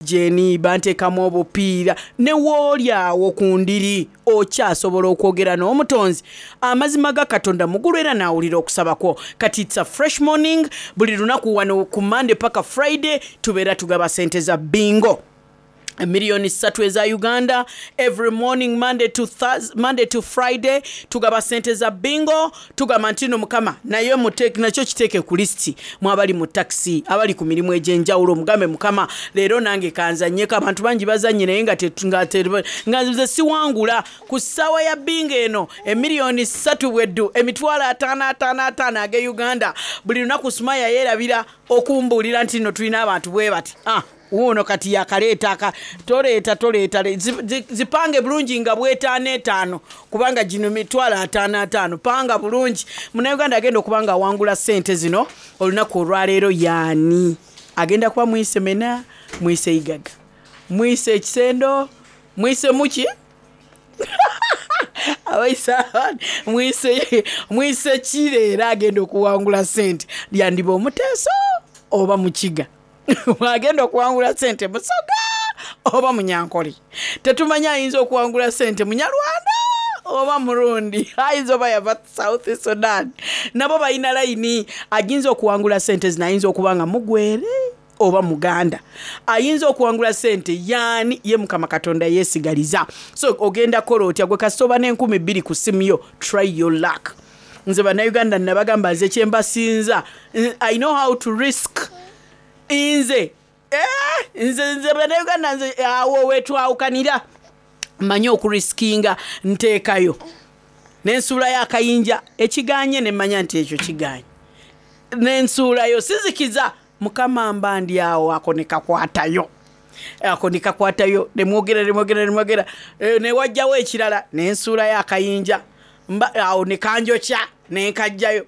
Oxygen, banteekamu obupiira. Ne wooli agho ku ndiri okyasobola okwogera n'Omutonzi. Amazima ga Katonda mugulu era naawulira okusaba kwo. Kati it's a fresh morning, buli lunaku wano ku Monday paka Friday tubeera tugaba sente za bingo. Million ssatu eza Uganda every morning Monday to, Thurs, Monday to Friday tugaba sente za bingo tugamba nti no mukama naye nakyo kiteeke ku lisiti mu abali mu taxi abali ku mirimu egy'enjawulo mugambe mukama leero nange kanzanyeko abantu bangi bazanye naye nga nga nze siwangula ku ssaawa ya bingo eno emiliyoni ssatu bweddu emitwalo ataano ataano ataano age Uganda buli lunaku Sumaya yeerabira okumbuulira nti no tulina abantu bwe bati ah Wuuno kati yakaleeta aka toleeta toleeta zipange bulungi nga bwetaano etaano kubanga gino mitwalo ataano ataano panga bulungi munauganda agenda okuba nga awangula sente zino olunaku olwaleero yaani agenda kuba mwise mena mwise igaga mwise ekisendo mwise muki abaisa mwise mwise kireera agenda okuwangula sente lyandiba omuteeso oba mukiga agenda okuwangula sente musoga oba munyankole tetumanyi ayinza okuwangula sente munyarwanda oba murundi ayinza oba yava south sudan nabo balina layini ayinza okuwangula sente zino ayinza okuba nga mugwere oba muganda ayinza okuwangula sente yaani ye mukama katonda yesigaliza so ogenda kola otya gwe kasita oba n'enkumi bbiri ku simu yo try your luck nze bannayuganda nabagamba nze kyembasinza i know how to risk nze eh, nze nze bannayuganda nze awo wetwawukanira mmanyi okurisikinga nteekayo nensuulayo akayinja ekiganye nemmanya nti ekyo kiganye nensuulayo sizikiza mukama mba ndi awo ako nekakwatayo ako nekakwatayo nemwogera nemwogera nemwogera eh, newajjawo ekirala nensuulayo akayinja awo nekanjokya nenkajjayo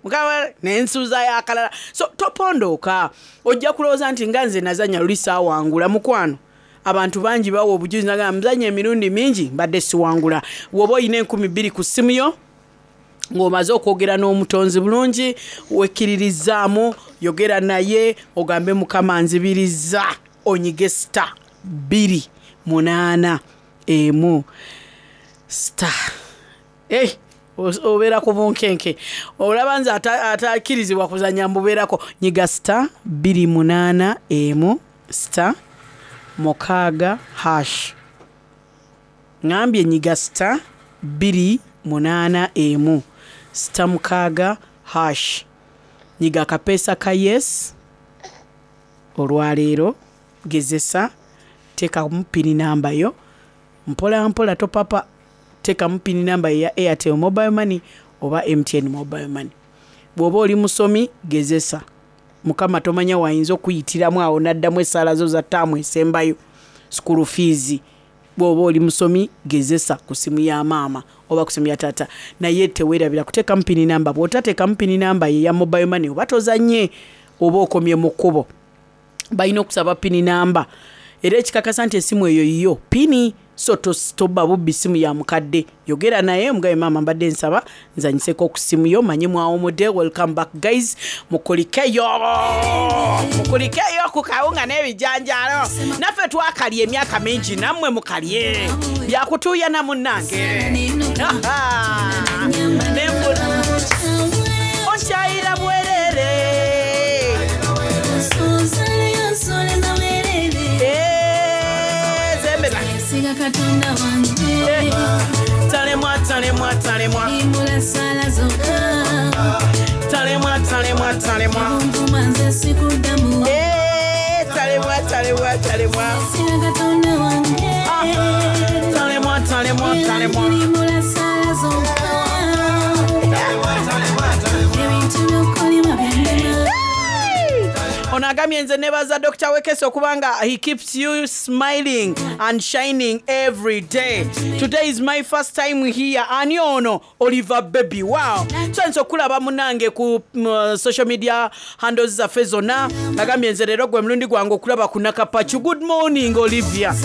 nensuuzayo akalala so topondooka ojja kulowooza nti nga nze nazanya luli saawangula mukwano abantu bangi bawa obujulizi nagamba muzanya emirundi mingi mbadde siwangula woba olina enkumi bbiri ku ssimu yo ng'omaze okwogera n'omutonzi bulungi wekkiririzaamu yogera naye ogambe mukama nzibirizza onyige star bbiri munaana emu star Hey, obeera ku bunkenke olaba nze atakkirizibwa kuzanya mbubeerako nyiga star 281 star mukaaga hash ŋambye nyiga star 281 star mukaaga hash nyiga akapeesa ka yes olwaleero gezesa teekamu pini namba yo Mpola mpola topapa tekamu pin number eya Airtel mobile money oba MTN mobile money. Bwoba oli musomi gezesa. Mukama tomanya wayinza okuyitiramu awo naddamu esaala zo za term esembayo. School fees. Bwoba oli musomi gezesa ku simu ya maama oba ku simu ya taata. Naye tewerabira kutekamu pin number. Bwotatekamu pin number eya mobile money oba tozanye oba okomye mu kkubo. Balina okusaba pini namba era ekikakasa nti esimu eyo yiyo pini so tobba bubbi simu ya mukadde yogera naye omugabe maama mbadde nsaba nzanyiseko ku simu yo manye mwawumude welcome back guys mukulikeyo mukulikeyo ku kawunga n'ebijanjaalo naffe twakalya emyaka mingi nammwe mukalye byakutuuyana munnange onkyayira bwerere talemwa talemwa talemwa talemwa talemwa talemwa talemwa talemwa talemwa talemwa talemwa talemwa ono agambye nze nebaza dr wekesa okuba nga he keeps you smiling and shining every day today is my first time here ani ono oliver baby wow tusanyusa okukulaba munange ku mm, social media handles zaffe zonna agambye nze leero gwe mulundi gwange okulaba ku nakapacu good morning olivia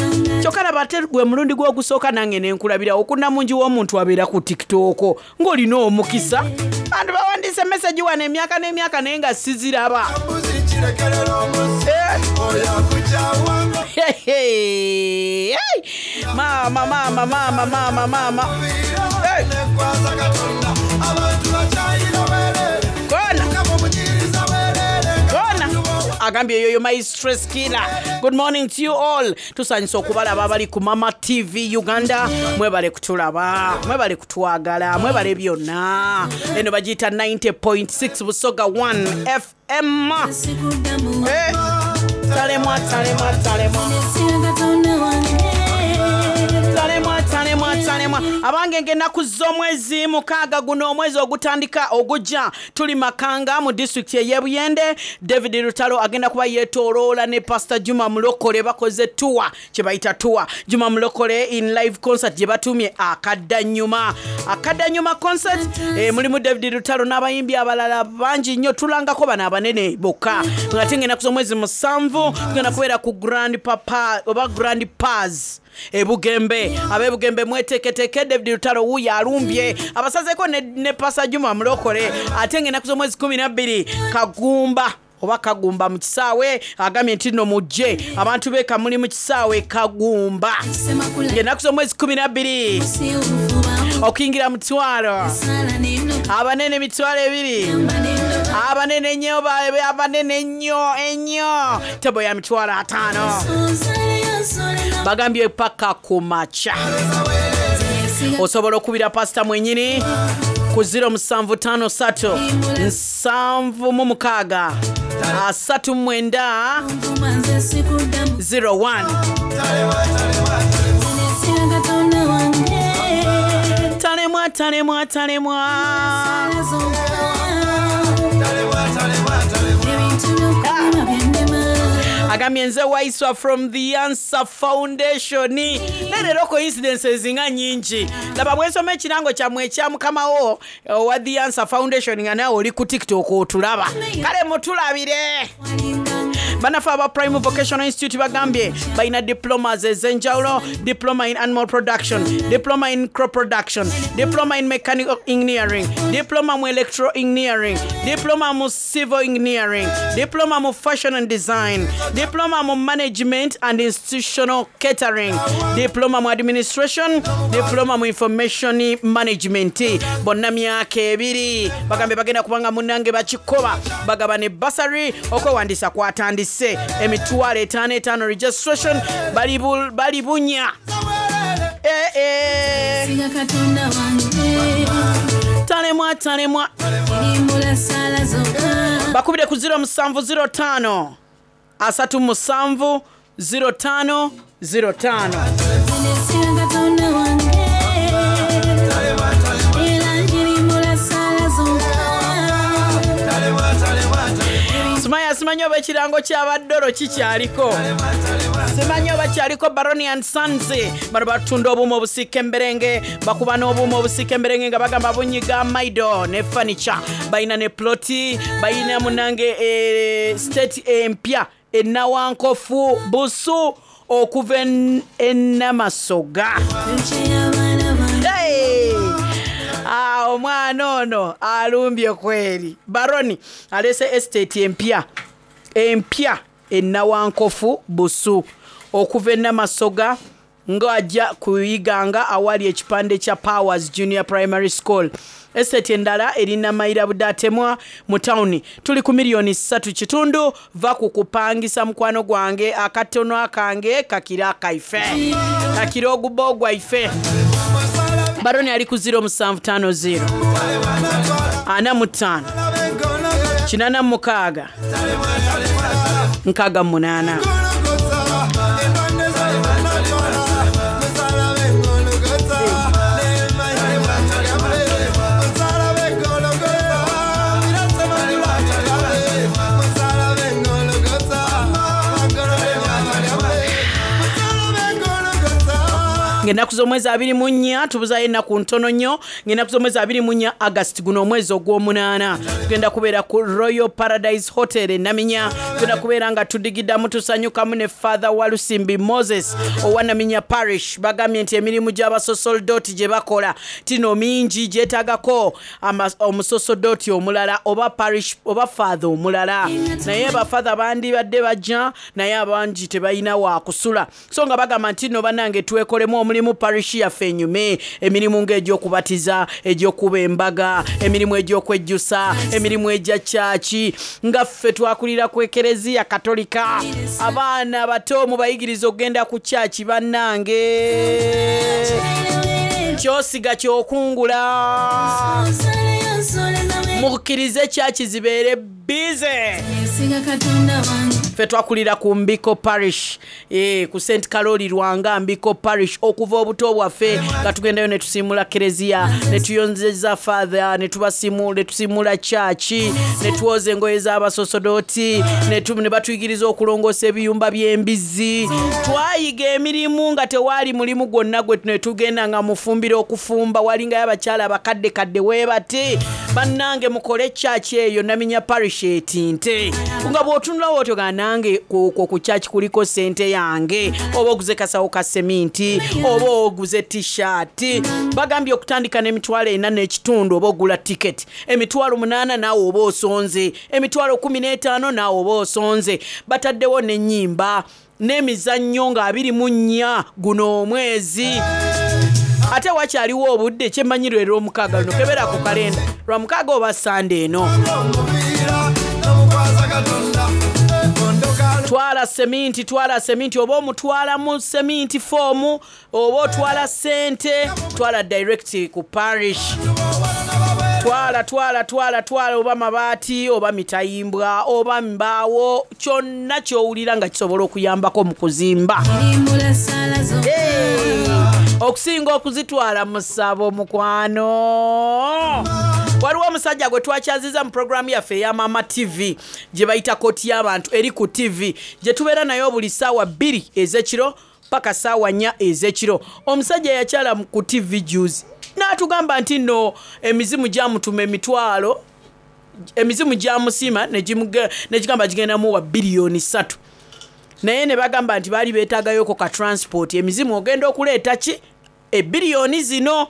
kyokka laba ate gwe mulundi gwogusooka nange nenkulabirawo okunamungi w'omuntu abeera ku tiktok ng'olina omukisa bantu bawandiise message wano emyaka n'emyaka naye nga siziraba. Eh. Hey, maama maama maama maama maama Hey! Kona kona agambye yoyo my stress killer. Good morning to you all. Tusanyusa okubalaba abali ku Mama TV Uganda. Mwebale kutulaba, mwebale kutwagala, mwebale byonna. Eno bagiyita 90.6 Busoga 1 FM. Eh, talemwa talemwa talemwa talemwa talemwa talemwa. Abange, ng'ennaku z'omwezi 6 guno, omwezi ogutandika ogujja, tuli Makanga mu disitulikiti ey'Ebuyende. David Lutalo agenda kuba yeetooloola ne Pastor Juma Mulokole. Bakoze tour, kye bayita tour Juma Mulokole in live concert gye batumye Akaddanyuma, Akaddanyuma concert. Mulimu David Lutalo n'abayimbi abalala bangi nnyo. Tulangako bano abanene bokka. Ate ng'ennaku z'omwezi 7 tugenda kubeera ku Grand Papa oba Grand Pas Ebugembe. Ab'Ebugembe mweteketeke, David Lutalo wuuyo alumbye abasazeeko ne Pastor Juma Mulokole. Ate ng'ennaku z'omwezi 12, Kagumba oba Kagumba mu kisaawe. Agambye nti nno mujje abantu b'eka muli mu kisaawe Kagumba ng'ennaku z'omwezi 12. Okuyingira 500, abanene 20,000, abanene ennyo, abanene ennyo ennyo tebo ya 50,000. Bagambye paka ku makya. Osobola okubira pasita mwenyini ku 0753 76 39 01. Talemwa talemwa talemwa. Agambye nze Waiswa from the Answer Foundation. Naye leero coincidences nga nyingi. Laba bwensoma ekirango kyammwe ekya mukamawo owa the Answer Foundation, nga naawe oli ku TikTok otulaba. Kale mutulabire. Bannaffe aba Prime Vocational Institute bagambye balina diplomas ez'enjawulo: diploma in animal production, diploma in crop production, diploma in mechanical engineering, diploma mu electro engineering, diploma mu civil engineering, diploma mu fashion and design, diploma mu management and institutional catering, diploma mu administration, diploma mu information management. Bonna myaka 2. Bagambye bagenda kubanga munnange bakikoba bagaba ne bursary. Okwewandiisa kwatandise. 5,000 5 registration. Bali bunya. Eh, eh. Talemwa talemwa. Bakubire ku 0705 37 05 05. Sumaya, simanyi oba ekirango ky'abaddolo kikyaliko, simanyi oba kyaliko. Baroni and Sons bano batunda obuuma obusiika emberenge, bakuba n'obuuma obusiika emberenge nga bagamba bunyiga maido ne furniture. Balina ne ploti, balina munange estate empya Enawankofu Busu okuva Enamasoga. Hey! Ah, omwana ono alumbye kweri. Baroni alese estate empya empya Enawankofu Busu okuva Enamasoga ng'ajja kuyiganga awali ekipande kya Powers Junior Primary School. Estate endala erina Mayira Budatemwa mu tawuni. Tuli ku miliyoni 3.5. Va ku kupangisa mukwano gwange, akatono akange kakira akaife, kakira oguba ogwaife. Baroni ali ku 0750 45 86 68. Ng'ennaku z'omwezi 24, tubuzaayo ennaku ntono nnyo, ng'ennaku z'omwezi 24 August guno omwezi ogw'omunaana, tugenda kubeera ku Royal Paradise Hotel e Naminya. Tugenda kubeera nga tudigidamu tusanyukamu ne Father Walusimbi Moses owa Naminya Parish. Bagambye nti emirimu gy'abasosoldoti gye bakola tino mingi gyetaagako omusosodooti omulala oba parish oba father omulala, naye bafather bandibadde bajja naye abangi tebalina wakusula. So nga bagamba nti nno bannange twekolemu omulimu parish yaffe enyume, emirimu ng'egy'okubatiza, egy'okuba embaga, emirimu egy'okwejjusa, emirimu egya kyaki. Nga ffe twakulira ku Ekereziya Katolika, abaana bato mubayigiriza okugenda ku kyaki. Bannange, kyosiga kyokungula. Mukkirize kyaki zibeere bize. Ffe twakulira ku Mbiko Parish, ku St Karoli Lwanga Mbiko Parish okuva obuto bwaffe, nga tugendayo ne tusiimula kereziya, ne tuyonzeza father, ne tusiimula kyaki, ne twoza engoye z'abasosodooti, ne batuyigiriza okulongoosa ebiyumba by'embizzi. Twayiga emirimu nga tewaali mulimu gwonna gwe ne tugenda nga mufumbira okufumba, walingayo abakyala abakadde kadde weebati. Bannange, mukole kyaki eyo Naminya Parish etinte, nga bw'otunulawo otyo ga nange okwo ku kyaki kuliko sente yange, oba oguze kasawo ka seminti oba oguze tishaati. Bagambye okutandika n'4,500 oba ogula tiketi, 800,000 naawe oba osonze, 15,000 naawe oba osonze. Bataddewo n'ennyimba n'emizannyo nga 24 guno omwezi, ate wakyaliwo obudde. Kyemmanyi lwe lwomukaaga luno, kebera ku kalenda, lwamukaaga oba Sande eno. Twala seminti, twala seminti, oba omutwalamu seminti foomu oba otwala sente, twala direct ku parish. Twala, twala, twala, twala, oba mabaati oba mitayimbwa oba mbaawo, kyonna ky'owulira nga kisobola okuyambako mu kuzimba. Hey! Okusinga okuzitwala mu ssabo, mukwano. Waliwo omusajja gwe twakyaziza mu puroguramu yaffe eya Mama TV gye bayita Kooti y'Abantu, eri ku TV gye tubeera nayo buli ssaawa 2 ez'ekiro paka ssaawa 4 ez'ekiro. Omusajja yakyala ku TV juzi n'atugamba nti nno emizimu gyamutuma emitwalo, emizimu gyamusiima ne gigamba gigenda muwa biliyoni 3, naye ne bagamba nti baali beetaagayoko ka transport. Emizimu ogenda okuleeta ki ebiliyoni zino?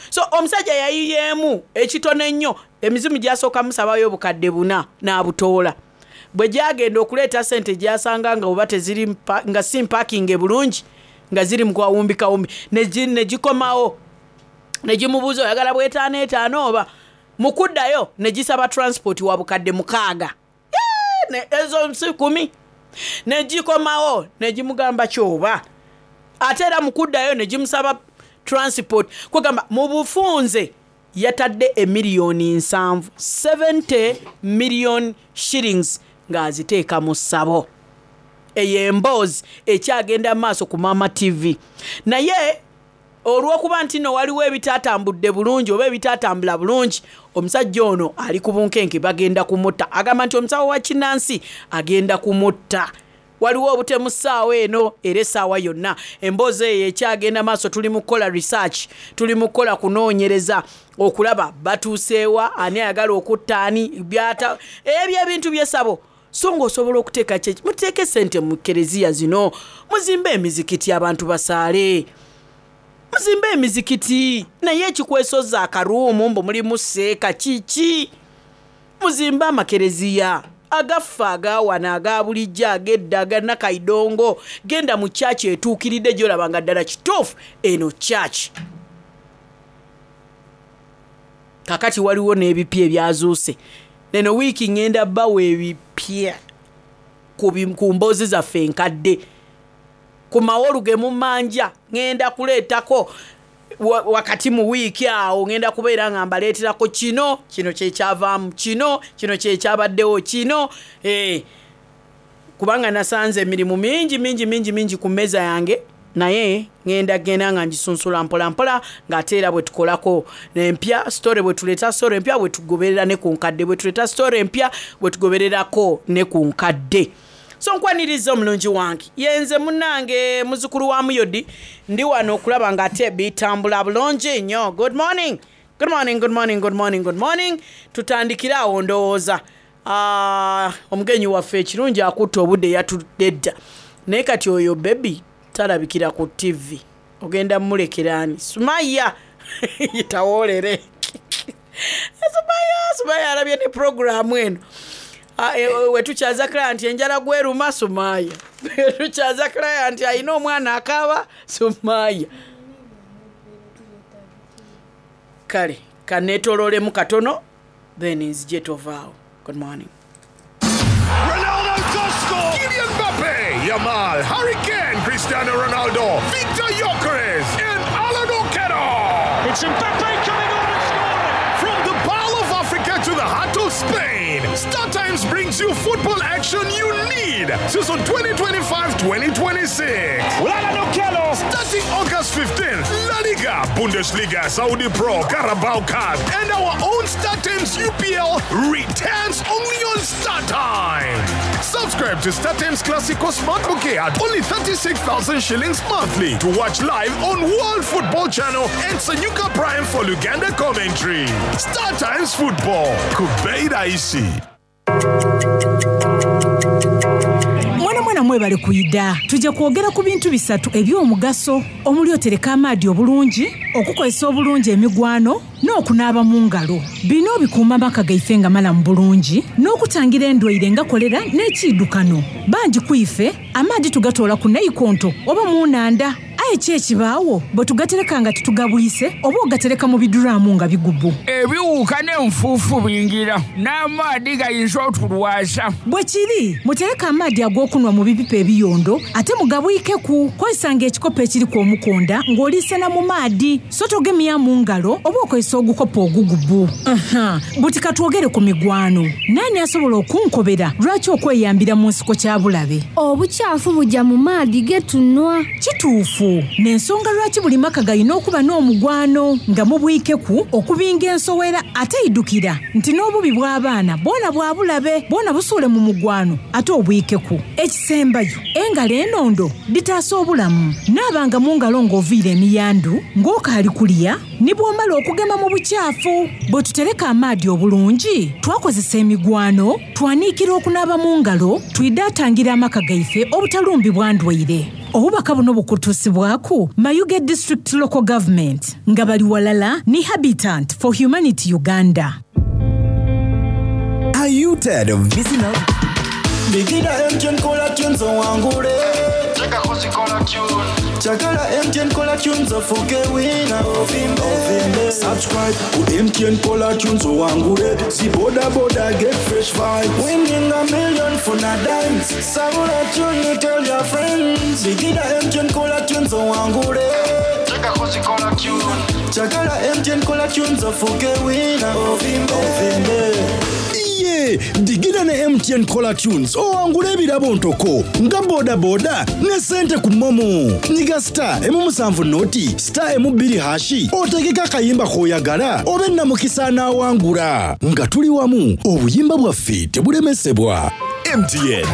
So omusajja yayiyeemu ekitono ennyo. Emizimu gyasooka musabayo 4,000 n'abutoola. Bwe gyagenda okuleeta sente, gyasanga nga oba teziri nga si mpakinge bulungi, nga ziri mu kawumbi kawumbi. Ne gikomawo ne gimubuuza, "Oyagala bwetaano etaano?" Oba mu kuddayo ne gisaba transport wa 6,000. Ezo si 10. Ne gikomawo ne gimugamba kyoba, ate era mu kuddayo ne gimusaba transport. Kwegamba mu bufunze yatadde emiliyoni 70, 70 million shillings, ng'aziteeka mu ssabo. Eyo emboozi ekyagenda maaso ku Mama TV, naye olw'okuba nti nno waliwo ebitatambudde bulungi oba ebitatambula bulungi, omusajja ono ali ku bunkenke, bagenda kumutta. Agamba nti omusawo wa kinansi agenda kumutta. Waliwo obutemu ssaawa eno era essaawa yonna. Emboozi eyo ekyagenda maaso. Tuli mu kukola research, tuli mu kukola kunoonyereza okulaba batuuseewa, ani ayagala okutta ani, byata ebyo ebintu byesabo. So ng'osobola okuteeka kyeki, muteeke sente mu kereziya zino, muzimbe emizikiti, abantu basaale, muzimbe emizikiti. Naye ekikwesoza akaruumu mbu mulimu seeka kiki? Muzimbe amakereziya agaffe agawana aga bulijjo, ag'edda, aganakaidongo. Genda mu kyaki etuukiridde gyolaba nga ddala kituufu eno kyaki. Kakati waliwo n'ebipya ebyazuuse neno wiiki. Ŋŋenda bawa ebipya ku mboozi zaffe enkadde ku mawolu ge mumanja. Ŋŋenda kuleetako wakati mu wiiki awo, ŋŋenda kubeera nga mbaleeterako kino, kino kyekyavaamu kino, kino kyekyabaddewo kino. Kubanga nasanze emirimu mingi mingi mingi mingi ku mmeeza yange, naye ŋŋenda genda nga ngisunsula mpola mpola, ng'ate era bwe tukolako empya story, bwe tuleeta story empya bwe tugoberera ne ku nkadde, bwe tuleeta story empya bwe tugobererako ne ku nkadde. So nkwaniriza omulungi wange. Yenze munange muzukulu wa Muyodi ndi wano okulaba nga ate bitambula bulungi nnyo. Good morning. Good morning, good morning, good morning, good morning. Tutandikire awo ndowooza. Ah, omugenyi waffe ekirungi akutte obudde yatudde dda. Naye kati oyo baby talabikira ku TV. Ogenda mulekera ani? Sumaya tawoolere. Sumaya, Sumaya alabye ne programu eno. Ah, eh, wetukyaza client enjala gweruma Sumaya. Wetukyaza client alina omwana akaaba Sumaya. Kale kaneetoloolemu katono then nzije tovaawo. Good morning. Ronaldo does score! Kylian Mbappe, Yamal, Harry Kane, Cristiano Ronaldo, Victor Gyökeres, and Alan Okello! It's Mbappe coming on and scoring! From the Pearl of Africa to the heart of Spain, Star Times brings you football action you need. Season 2025-2026. Well, Alan Okello! Starting August 15th, La Liga, Bundesliga, Saudi Pro, Carabao Cup, and our own Star Times UPL returns only on Star Times. Subscribe to Star Times Classico Smart Bouquet at only 36,000 shillings monthly to watch live on World Football Channel and Sanyuka Prime for Luganda commentary. Star Times Football, Kubeira Isi. Mwana mwana mwebale kuyida. Tujja kwogera ku bintu bisatu eby'omugaso omuli otereka amaadi obulungi, okukozesa obulungi emigwano n'okunaaba mu ngalo. Bino bikuuma amaka gaife nga malamu bulungi n'okutangira endwaire nga kolera n'ekiidukano. Bangi ku ife amaadi tugatoola ku naikonto oba mu nnanda. Aye ki ekibaawo bwe tugatereka nga titugabwise oba ogatereka mu biduraamu nga bigubu. Ebiwuka n'enfuufu bingira n'amaadi gayinza otulwaza. Bwe kiri, mutereke amaadi ag'okunwa mu bipipa ebiyondo ate mugabwikeku. Kozesanga ekikopo ekiriku omukonda ng'oliisena mu maadi, so togemya mu ngalo oba okozesa ogukopo ogugubu. Aha, buti katwogere ku migwano. Naani asobola okunkobera lwaki okweyambira mu nsiko kya bulabe? Obukyafu bujja mu maadi ge tunwa. Kituufu. N'ensonga lwaki buli maka galina okuba n'omugwano nga mubwikeku okubinga ensowera ate idukira nti n'obubi bw'abaana bwona bwa bulabe bwona busuule mu mugwano ate obwikeku. Ekisembayo engalo enondo ditaasa obulamu. Naabanga mu ngalo ng'oviira emiyandu ng'okaali kulya ni bw'omala okugema mu bukyafu. Bwe tutereka amaadi obulungi twakozesa emigwano twaniikira okunaaba mu ngalo twidaatangira amaka gaife obutalumbibwa ndwaire. Obubaka buno bukutuusibwaku Mayuge District Local Government nga bali walala ni Habitat for Humanity Uganda. Are you tired of missing out? Bigida MTN Cola Tunes owangule. Chakala MTN Cola Tunes ofuke wina. Ovimbe. Subscribe ku MTN Cola Tunes owangule. Si boda boda get fresh vibes. Winning a million for na dimes. Sabula tune tell your friends. Bigida MTN Cola Tunes owangule. Chakala MTN Cola Tunes ofuke wina. Ovimbe. Ovimbe. Iye, digida ne MTN Cola Tunes owangule ebirabo ntoko nga boda boda ne sente ku momo. Nyiga star emu musanvu noti star emu bbiri hashi otegeka akayimba k'oyagala obe namukisa anaawangula. Nga tuli wamu obuyimba bwaffe tebulemesebwa. MTN.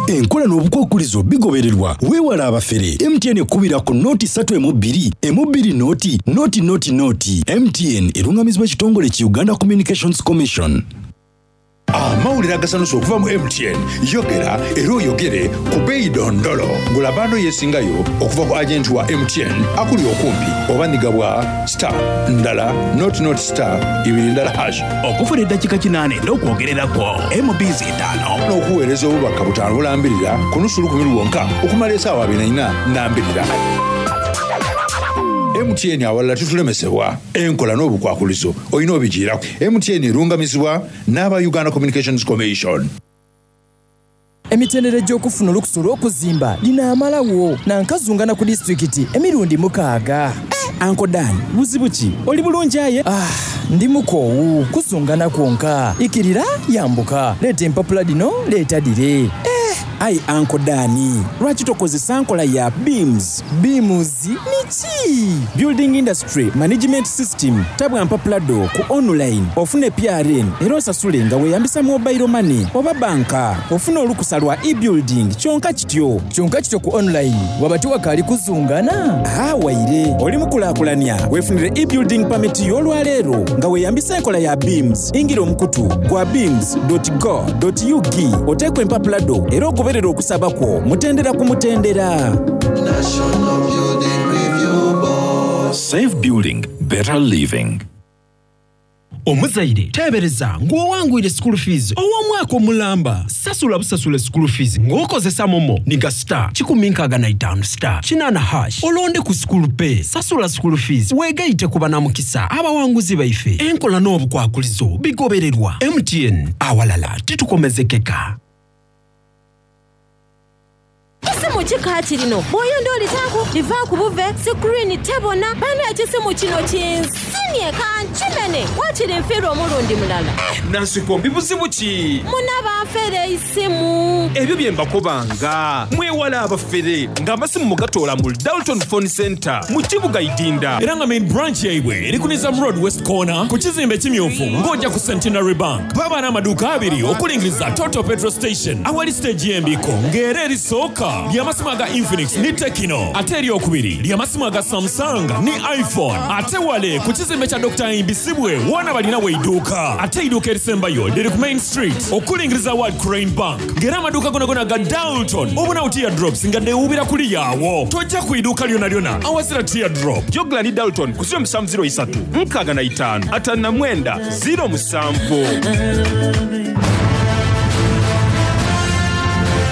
Enkola n'obukwakulizo bigobererwa. Weewala abafere. MTN ekubira ku noti ssatu emu bbiri, emu bbiri noti, noti noti noti. MTN erungamizibwa ekitongole ki Uganda Communications Commission. Amawulire agasanusa okuva mu MTN. Yogera era oyogere ku bbeeyi dondolo. Gula bando yeesingayo okuva ku agenti wa MTN akuli okumpi oba nyiga bwa star ndala not not star ibiri ndala hash. Okufuna eddakiika 8 n'okwogererako MBs 5. N'okuweereza obubaka 5 bulambirira ku nusu lukumi lwonka okumala essaawa 24 nambirira. MTN awalala tutulemesebwa. Enkola n'obukwakulizo olina obigiirako. MTN erungamizibwa n'aba Uganda Communications Commission. Emitendera egy'okufuna olukusa olw'okuzimba linaamalawo nankazungana ku disitulikiti emirundi 6. Uncle Dan, buzibu ki? Oli bulungi aye? Ndi mukoowu, kuzungana kwonka. Ikirira, yambuka. Leeta empapula dino, leeta dire. Aye Uncle Dan, lwaki tokozesa nkola ya BIMS? BIMS niki? Building Industry Management System. Tabwa mpapula dho ku online ofune PRN era osasule nga weeyambisa mobile money oba banka. Ofune olukusa lwa e-building kyonka kityo. Kyonka kityo ku online waba tiwakaali kuzungana? Haa waire. Oli mukulakulania weefunire e-building permit yo olwaleero nga weeyambisa enkola ya BIMS. Ingira omukutu gwa bims dot go dot ug oteeku empapula dho era ogoberere okusaba kwo mutendera ku mutendera. National Building Review Board. Safe building, better living. Omuzaire teebereza ng'owangwire school fees ow'omwaka omulamba. Sasula busasule school fees ng'okozesa momo niga star 165 star 8 hash olonde ku school pay. Sasula school fees weegaite ku banamukisa abawanguzi baife. Enkola n'obukwakulizo bigobererwa. MTN awalala titukomezekeka. Kisimu ki kaakirino? Bw'oyenda olitaaku, livaaku buve, sikuriini tebona. Bane ekisimu kino kinsinie kankimene. Waakiri nfiirwa omulundi mulala. Nansikombi buzibu ki? Muna banfera eisimu. Ebyo bye mbakobanga. Mwewale abafere nga amasimu mugatoola mu Dalton Phone Centre mu kibuga Idinda. Era nga main branch yaibwe eri ku Nizam Road West Corner ku kizimbe ekimyufu ng'oja ku Centenary Bank. Baba n'amaduuka abiri okulingiriza Total Petrol Station awali siteegi y'embiiko ng'era erisooka ly'amasimu aga Infinix ni Tecno ate eryokubiri ly'amasimu aga Samsung ni iPhone ate wale ku kizimbe kya Dokita Ahimbisibwe woona balina weiduuka ate eiduuka erisembayo liri ku Main Street okulingiriza World Crane Bank ng'era amaduuka gonagona aga Dalton obonawo teardrops nga dhewuubira kuliya awo tojja ku iduuka lyonalyona awazira teardrop. Jogla ni Dalton ku 070 65 59 07.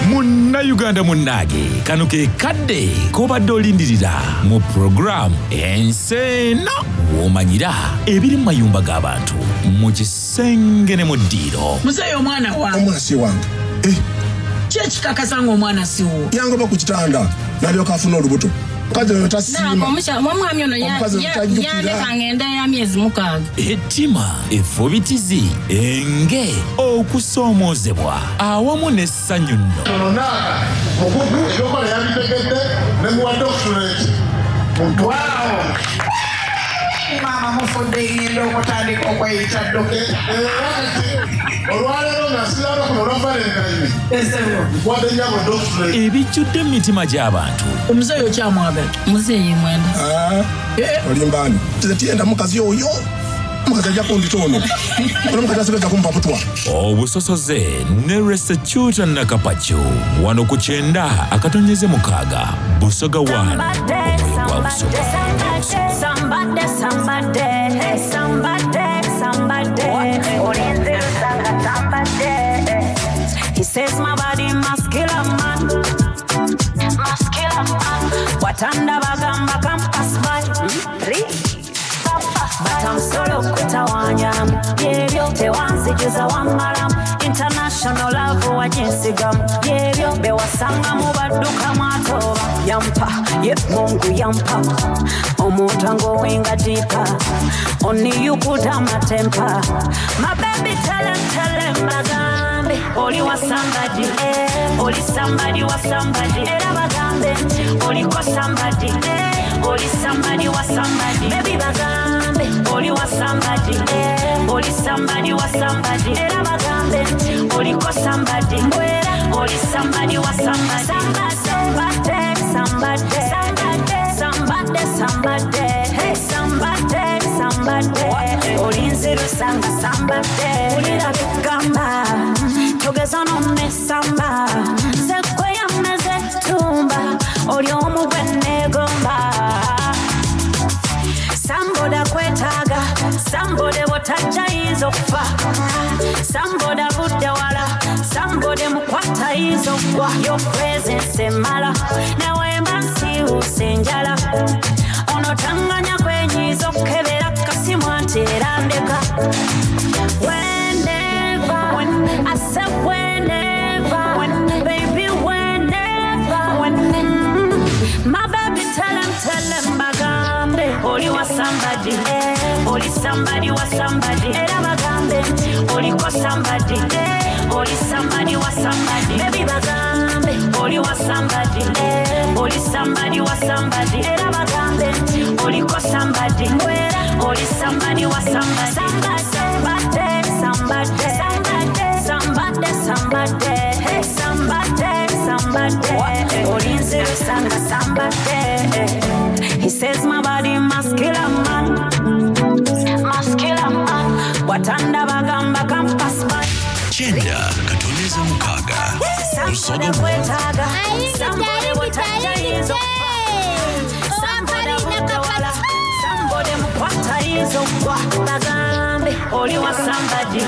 Munnayuganda munnange kano ke kadde k'obadde olindirira mu pulogulaamu Ensi Eno w'omanyira ebiri mu mayumba g'abantu mu kisenge ne mu ddiiro. Muzeeyi omwana wange. Omwana si wange. Eh. Ki ekikakasa ng'omwana si wuwo? Yangoba ku kitanda n'alyoka afuna olubuto. Omukazi oyo tasiima. Omwami ono Omukazi oyo tajjukira. yandeka ng'enda ya myezi mukaaga. Ettima, effubitizi, enge, okusoomoozebwa awamu n'essanyu nno. Ono Naaka mukugu ebyokola yabitegedde ne muwa doctorate mutwaawo. Maama mufudde ngenda okutandika okweyita dokita. Era kati olwaleero nga nsiraba kuno olwa Valentine nkuwadde nnyabo doctorate. Ebijjudde mu mitima gy'abantu. Omuzeeyi okyamwagala? Muzeeyi mwenda. Olimba ani? Nze tiyenda mukazi oyo. Omukazi ajja kundita ono. Ono omukazi asigazza kumpa butwa. Obusosoze ne Resecuta Nakapacu wano ku kyenda akatonyeze mukaaga Busoga 1 omwoyo gwa Busoga. Somebody, somebody, hey, somebody, somebody. Olinze Lusanga, somebody. He says my body must kill a man. Must kill a man. Watanda bagamba campus by. But I'm solo kutawanya. Byebyo tewanzijuza wamalamu. International love wajinsigamu. Byebyo bewasanga mu badduka mwatoba. Yampa, ye Mungu yampa. Omuntu angowenga deeper. Only you could have my temper. My baby tell him, tell him bagambe. Oli wa somebody, eh. Oli somebody wa somebody. Era bagambe. Oliko somebody, eh. Oli somebody wa somebody. Baby bagambe. Oli wa somebody, eh. Oli somebody wa somebody. Era bagambe. Oliko somebody, Oli somebody wa somebody. Somebody, somebody, somebody, somebody, somebody. Hey, somebody, somebody. Olinze Lusanga, somebody. Ulira bigamba. Togeza n'omesamba. Nze gwe yameze ttumba. Oli omu gwe neegomba. Somebody akwetaaga, somebody bw'otajja ayinza okufa. Somebody avudde wala, somebody mukwata ayinza okugwa. Your presence emala, nawe mba nsiiwuuse enjala. Ono tanganya kwenyiiza okukebera kasimu anti era ndeka. Whenever, I said whenever, baby whenever. My baby tell him, tell him bagambe. Oli wa somebody, eh. Oli somebody wa somebody. Era bagambe nti oliko somebody. Oli somebody wa somebody. Baby bagambe oli wa somebody. Oli somebody wa somebody. Era bagambe nti oliko somebody. Oli somebody wa somebody. Somebody, somebody, somebody, somebody, somebody. Hey, somebody, somebody. Olinzirusanga somebody. He says my body must kill a man. Must kill a man. Watanda bagamba campus man. Kyenda katoneza mukaaga Busoga Somebody kwetaaga. Somebody bw'otajja Somebody bw'otawala. Somebody mukwata ayinza okugwa. Bagambe oli wa somebody.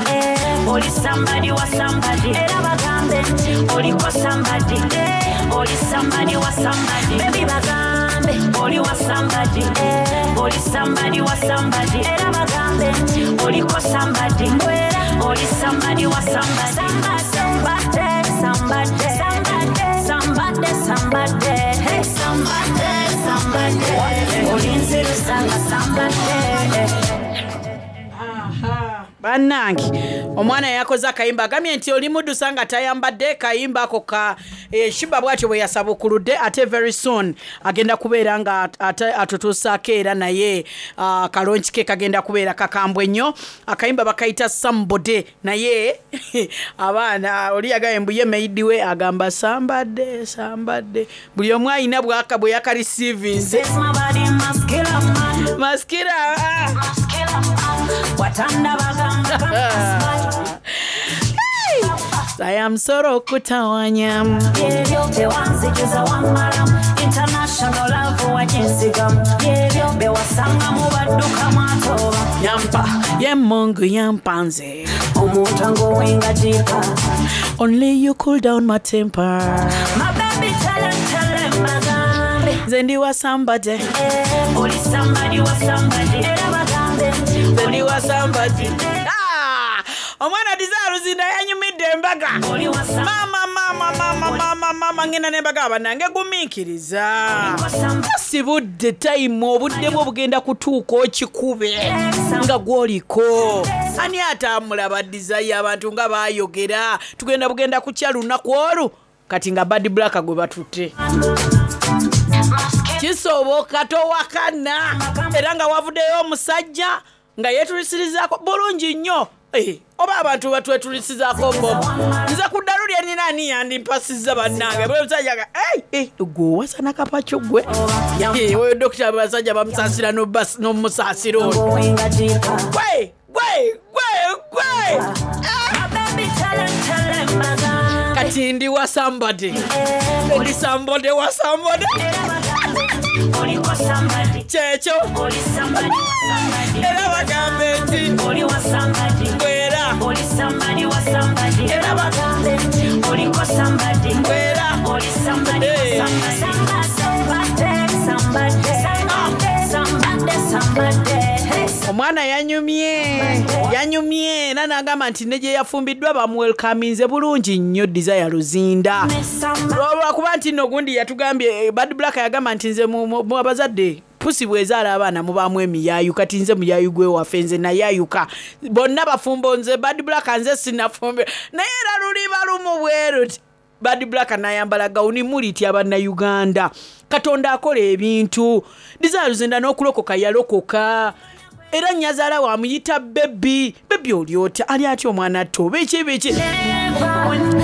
Oli somebody wa somebody. Era bagambe nti oliko somebody. Oli somebody wa somebody. Baby bagambe oli wa somebody. Oli somebody wa somebody. Era bagambe nti oliko somebody. Oli somebody wa somebody. Somebody, somebody, somebody, somebody, somebody. Hey, somebody, somebody. Olinzirusanga somebody. Bannange, omwana yakoze akayimba, agambye nti oli muddusa nga tayambadde. Kayimba ako ka Shiba bwatyo bwe yasabukuludde, ate very soon agenda kubeera nga ate atutuusaako era naye kalonki ke kagenda kubeera kakambwe nnyo. Akayimba bakayita "Somebody", naye abaana oli yagambye mbu ye maid we agamba sambadde sambadde. Buli omu ayina bwaka bwe yakarisiivinze. Says my body must kill a man. Maskira ah. Must kill a man. Watanda bagamba campus man. Saya msoro kutawanya. Byebyo tewanzijuza wammalamu. International love waginsigamu. Byebyo bewasangamu baddukamu atoba. Yampa ye Mungu yampanze. Omuntu angowenga jipa. Only you cool down my temper. My baby tell 'em, tell 'em bagambe. Nze ndi wa somebody. Oli somebody wa somebody. Era bagambe nti Nze ndi wa somebody. Ah! Omwana Desire Luzinda yanyumidde embaga. Mama, mama, mama, mama, mama, ngenda n'embaga bannange, gumiikiriza. Si budde time, obudde bwo bugenda kutuuka okikube nga gw'oliko. Ani atamulaba Desire? Abantu nga baayogera tugenda bugenda kukya lunaku olwo kati nga Bad Black gwe batutte. Kisoboka, towakana. Era nga wavuddeyo omusajja nga yeetulisirizzaako bulungi nnyo. Oba abantu batwetulisizaako bobo, nze ku ddalu lye nina ani yandimpasizza bannange? Bwe musajja nga "Ei, eh, gwe owasa nakapakyo gwe." Oyo dokita abasajja bamusaasira n'omusaasira oyo. Angowenga jipa. Gwe gwe gwe gwe. My baby tell 'em, tell 'em bagambe. Kati ndi wa somebody, ndi somebody wa somebody. Oliko somebody. Kyekyo. Oli somebody wa somebody. Era bagambe nti Oli wa somebody. Bwera. Oli somebody wa somebody. Era bagambe nti oliko somebody. Bwera. Oli somebody wa Hey. somebody. Somebody, somebody, somebody, somebody. Hey. Omwana yanyumye, yanyumye era n'agamba nti ne gye yafumbiddwa bamuwelkaminze bulungi nnyo. Desire Luzinda, lwakuba nti nno gundi yatugambye, Bad Black yagamba nti nze mu abazadde pusi bwezaala abaana mubaamu emiyaayu. Kati nze muyaayu gwewaffe, nze nayayuka, bonna bafumbo, nze Bad Black nze sinafumbe. Naye era luliba lumu bweruti Bad Black nayambala gawuni. Muliti abannayuganda, Katonda akola ebintu. Desire Luzinda n'okulokoka yalokoka, era nyazaala wamuyita baby. Baby, oli otya? Ali atya omwana atto? Biki biki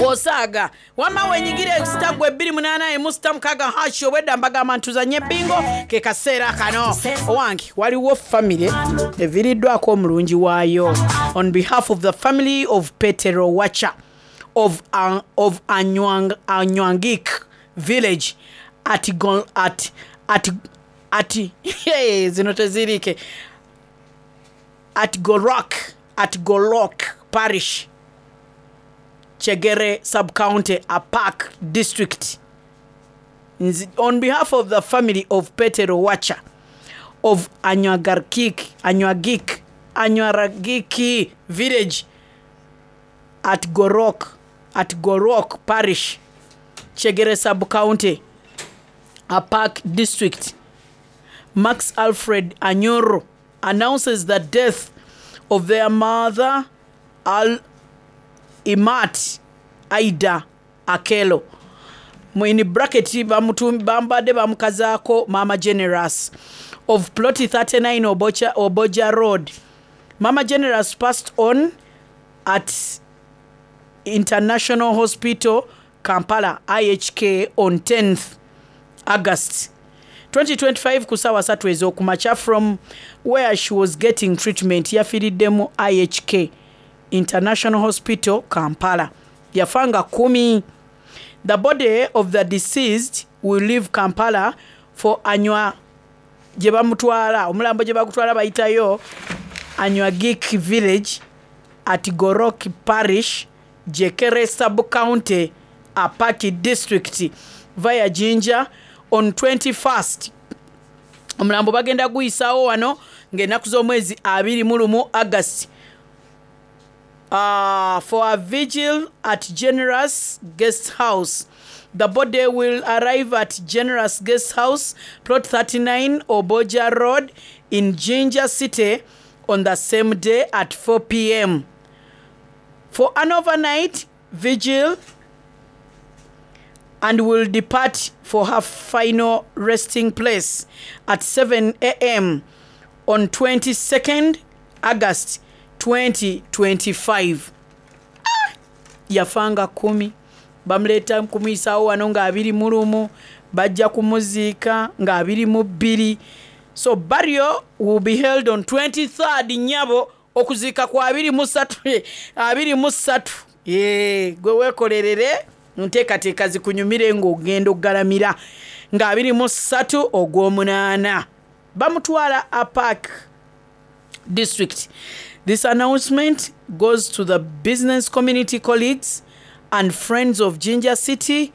osaaga? Wamma wenyigira ekisita gwe 28 emu sita 6 hash. Obwedda mbagamba ntuzanye bingo, ke kaseera kano. Owange, waliwo famire eviiriddwako omulungi waayo. On behalf of the family of Petero Wacha of Anywangik village at, Gol, at hey, zino tezirike, at Golok parish, Chegere sub-county, Apak district. On behalf of the family of Petero Wacha of Anywaragiki village at Gorok parish, Chegere sub-county, Apak district, Max Alfred Anyoro. announces the death of their mother Al Imat Aida Akello mu in bracket bambadde bamukazaako Maama Generous of plot 39 Obocha, Oboja Road. Mama Generous passed on at International Hospital Kampala IHK on 10th August 2025 ku ssaawa 3 ez'okumakya from where she was getting treatment. Yafiiridde mu IHK International Hospital Kampala. Yafa nga 10. The body of the deceased will leave Kampala for Anywa gye bamutwala omulambo gye bagutwala bayitayo Anywagik village at Gorok parish Jekere sub county Apaki district via Jinja on 21st. Omulambo bagenda guyisaawo wano ng'ennaku z'omwezi 21 August for a vigil at Generous Guest House. The body will arrive at Generous Guest House, plot 39 Oboja Road in Jinja City on the same day at 4 p.m. for an overnight vigil and will depart for her final resting place at 7 a.m. on 22nd August 2025. Ah! Yafa nga 10 bamuleeta kumuyisaawo wano nga 21 bajja kumuziika nga 22 so burial will be held on 23rd nyabo okuziika kwa 23 23 gwe weekolerere nteekateeka zikunyumire ng'ogenda okugalamira nga 23 ogw'omunaana bamutwala Apac district. This announcement goes to the business community colleagues and friends of Jinja City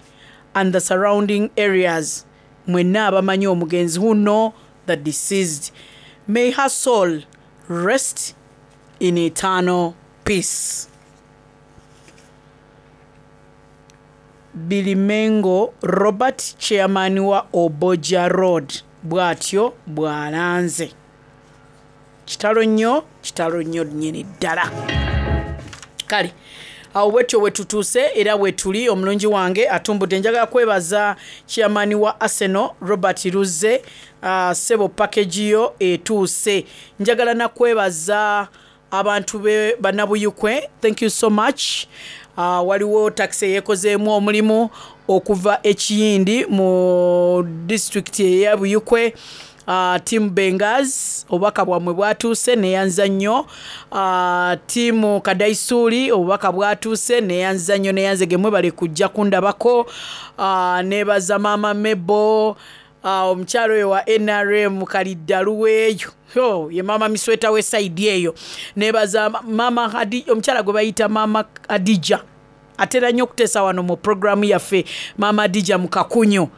and the surrounding areas. Mwenna abamanyi omugenzi who know the deceased. May her soul rest in eternal peace. Bilimengo Robert chairman wa Oboja Road bw'atyo bw'alanze. Kitalo nnyo, kitalo nnyo nnyini ddala. Kale awo bwetyo bwe tutuuse era bwe tuli omulungi wange atumbudde njagala kwebaza chairman wa Arsenal Robert Luzze ssebo package yo etuuse. Njagala nakwebaza abantu be bannabuyukwe thank you so much. Waliwo takisi eyeekozeemu omulimu okuva ekiyindi mu disitulikiti eya Buyukwe. Team Bengaz obubaka bwammwe bwatuuse neyanza nnyo. Team Kadaisuuli obubaka bwatuuse neyanza nnyo neyanze gemwe bale kujja kundabako. Nebaza maama Mebo omukyalo oyo wa NRM Kaliddalu weeyo yo ye maama misweta we side eyo. Nebaza maama Hadi, omukyala gwe bayita maama Hadija atera nnyo okuteesa wano mu programu yaffe maama Hadija mu Kakunyu.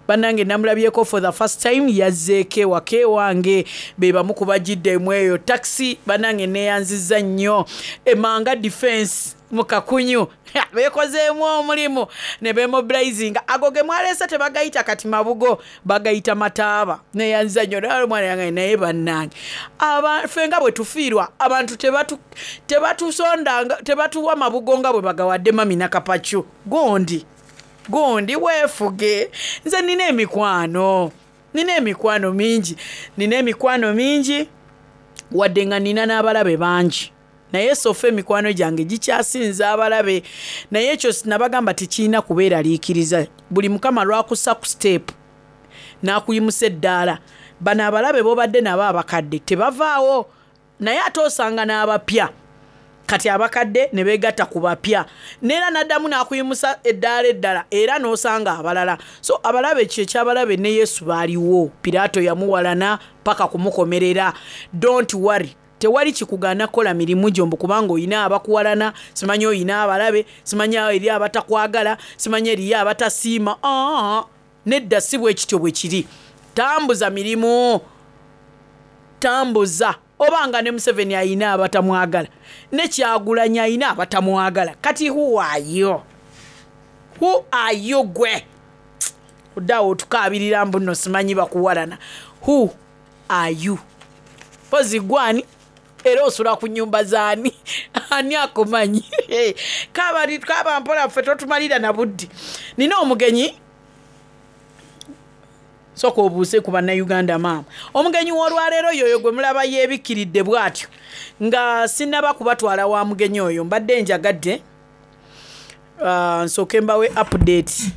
Bannange namulabyeko for the first time yazzeeko ewaka ewange be bamu ku bagiddemu eyo takisi. Bannange neeyanzizza nnyo Emanga Defense mu Kakunyu beekozeemu omulimu ne bemobilizinga. Ago ge mwaleese tebagayita kati mabugo, bagayita mataaba. Neeyanzizza nnyo naye omwana yange naye bannange ffe nga bwe tufiirwa abantu tebatusondanga tebatuwa mabugo nga bwe bagawadde mami Nakapacu. Gundi gundi weefuge. Nze nina emikwano, nina emikwano mingi, nina emikwano mingi wadde nga nina n'abalabe bangi, naye sofa emikwano gyange gikyasinza abalabe. Naye ekyo nabagamba tekirina kubeeraliikiriza. Buli mukama lwakussa ku step n'akuyimusa eddaala, bano abalabe b'obadde nabo abakadde tebavaawo, naye ate osanga n'abapya. Kati abakadde ne beegatta ku bapya, neera n'addamu n'akuyimusa eddaala eddala era n'osanga abalala. So abalabe kye ekyabalabe ne Yesu baaliwo, Piraato yamuwalana paka kumukomerera. Don't worry, tewali kikugaana kukola mirimu gyo mbu kubanga olina abakuwalana, simanyi olina abalabe, simanyi eri abatakwagala, simanyi eriyo abatasiima. Nedda si bwe kityo bwe kiri. Tambuza mirimu, tambuza. Obanga ne Museveni ayina abatamwagala, ne Kyagulanyi ayina abatamwagala, kati who are you? Who are you gwe? Odaawo otukaabirira mbu nno simanyi bakuwalana. Who are you? Mpozi gwe ani? Era osula ku nyumba z'ani? Ani akumanyi? Kaaba kaaba mpola ffe totumalira na budde. Nina omugenyi Sooka obuuse ku Bannayuganda maama. Omugenyi w'olwaleero y'oyo gwe mulaba yeebikkiridde bw'atyo. Nga sinnaba kubatwala wa mugenyi oyo, mbadde njagadde uh, nsooke mbawe update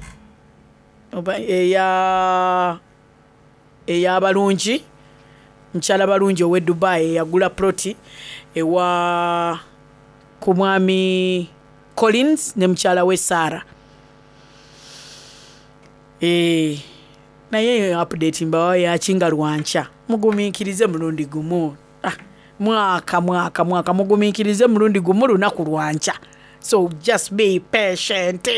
oba eya ey'abalungi mukyala balungi ow'e Dubai eyagula ploti ewa ku mwami Collins ne mukyala we Sarah. Eeh naye eyo update mbawa yaki nga lwankya muguminkirize mulundi gumu ah, mwaka mwaka mwaka muguminkirize mulundi gumu lunaku lwankya so just be patient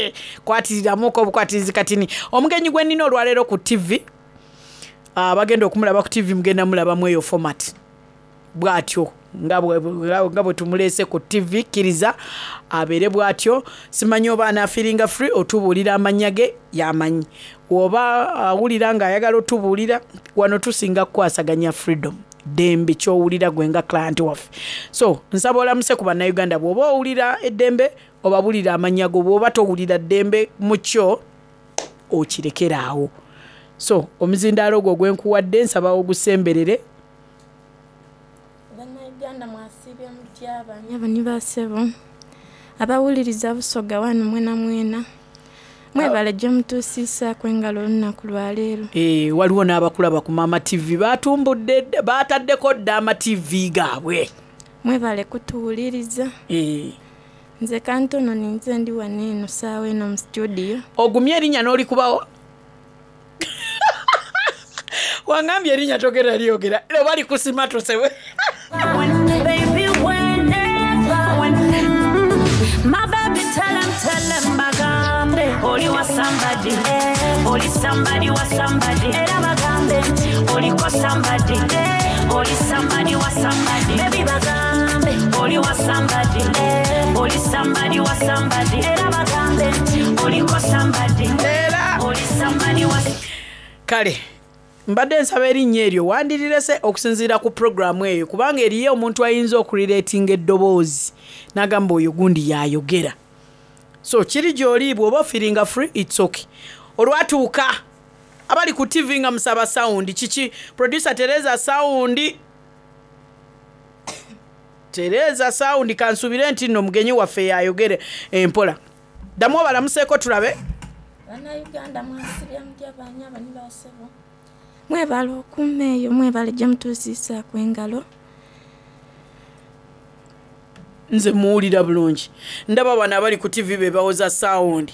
kwatiriramuko obukwatirizi katini omugenyi gwe nina olwaleero ku tv abagenda ah, okumulaba ku tv mugenda mulabamu eyo format bwatyo nga bwe tumuleese ku ttivi kkiriza abeere bwatyo simanyi oba anaafiringa free otubuulira amannya ge yamanyi oba awulira ng'ayagala otubuulira wano tusinga kukwasaganya freedom ddembe kyowulira gwe nga client waffe so nsaba olamuse ku bannayuganda bw'oba owulira eddembe obabulira amannya go bw'oba towulira ddembe mu kyo okirekere awo so omuzindaalo ogwo gwenkuwadde nsaba ogusemberere Bannayuganda mwasiibye mutya banyabo ni basebo abawuliriza Busoga wano mwena mwena mwebale gyemutuusiisaaku engalo olunaku lwaleero. Eh, waliwo n'abakulaba ku Maama TV batumbudde baataddeko dda ama TV gaabwe. Mwebale kutuwuliriza. Eh. Nze kantono ninze ndi wano eno saawa eno mu studio. Ogumye erinnya n'olikubawo? Wangambye erinnya togera lyogera oba likusimatuse. My baby, tell him, tell him, bagambe oli wa somebody, oli somebody wa somebody, era bagambe oliko somebody, oli somebody wa somebody, baby bagambe oli wa somebody, oli somebody wa somebody, era bagambe oliko somebody, oli somebody wa Kale mbadde nsaba erinnya eryo wandirirese okusinziira ku puroguramu eyo kubanga eriyo omuntu ayinza okurireetinga eddoboozi n'agamba oyo gundi yayogera so kiri gy'oli bw'oba ofiringa free its okay olwatuuka abali ku tv nga musaba sound kiki producer tereza sound tereza sound kansubire nti nno mugenyi waffe yayogere empola ddamu obalamuseeko tulabe Bannayuganda mwasibye mutya banyabo ni basebo mwebale okuuma eyo mwebale gye mutuusiisaaku engalo. Nze muwulira bulungi ndaba bano abali ku tv be bawoza sound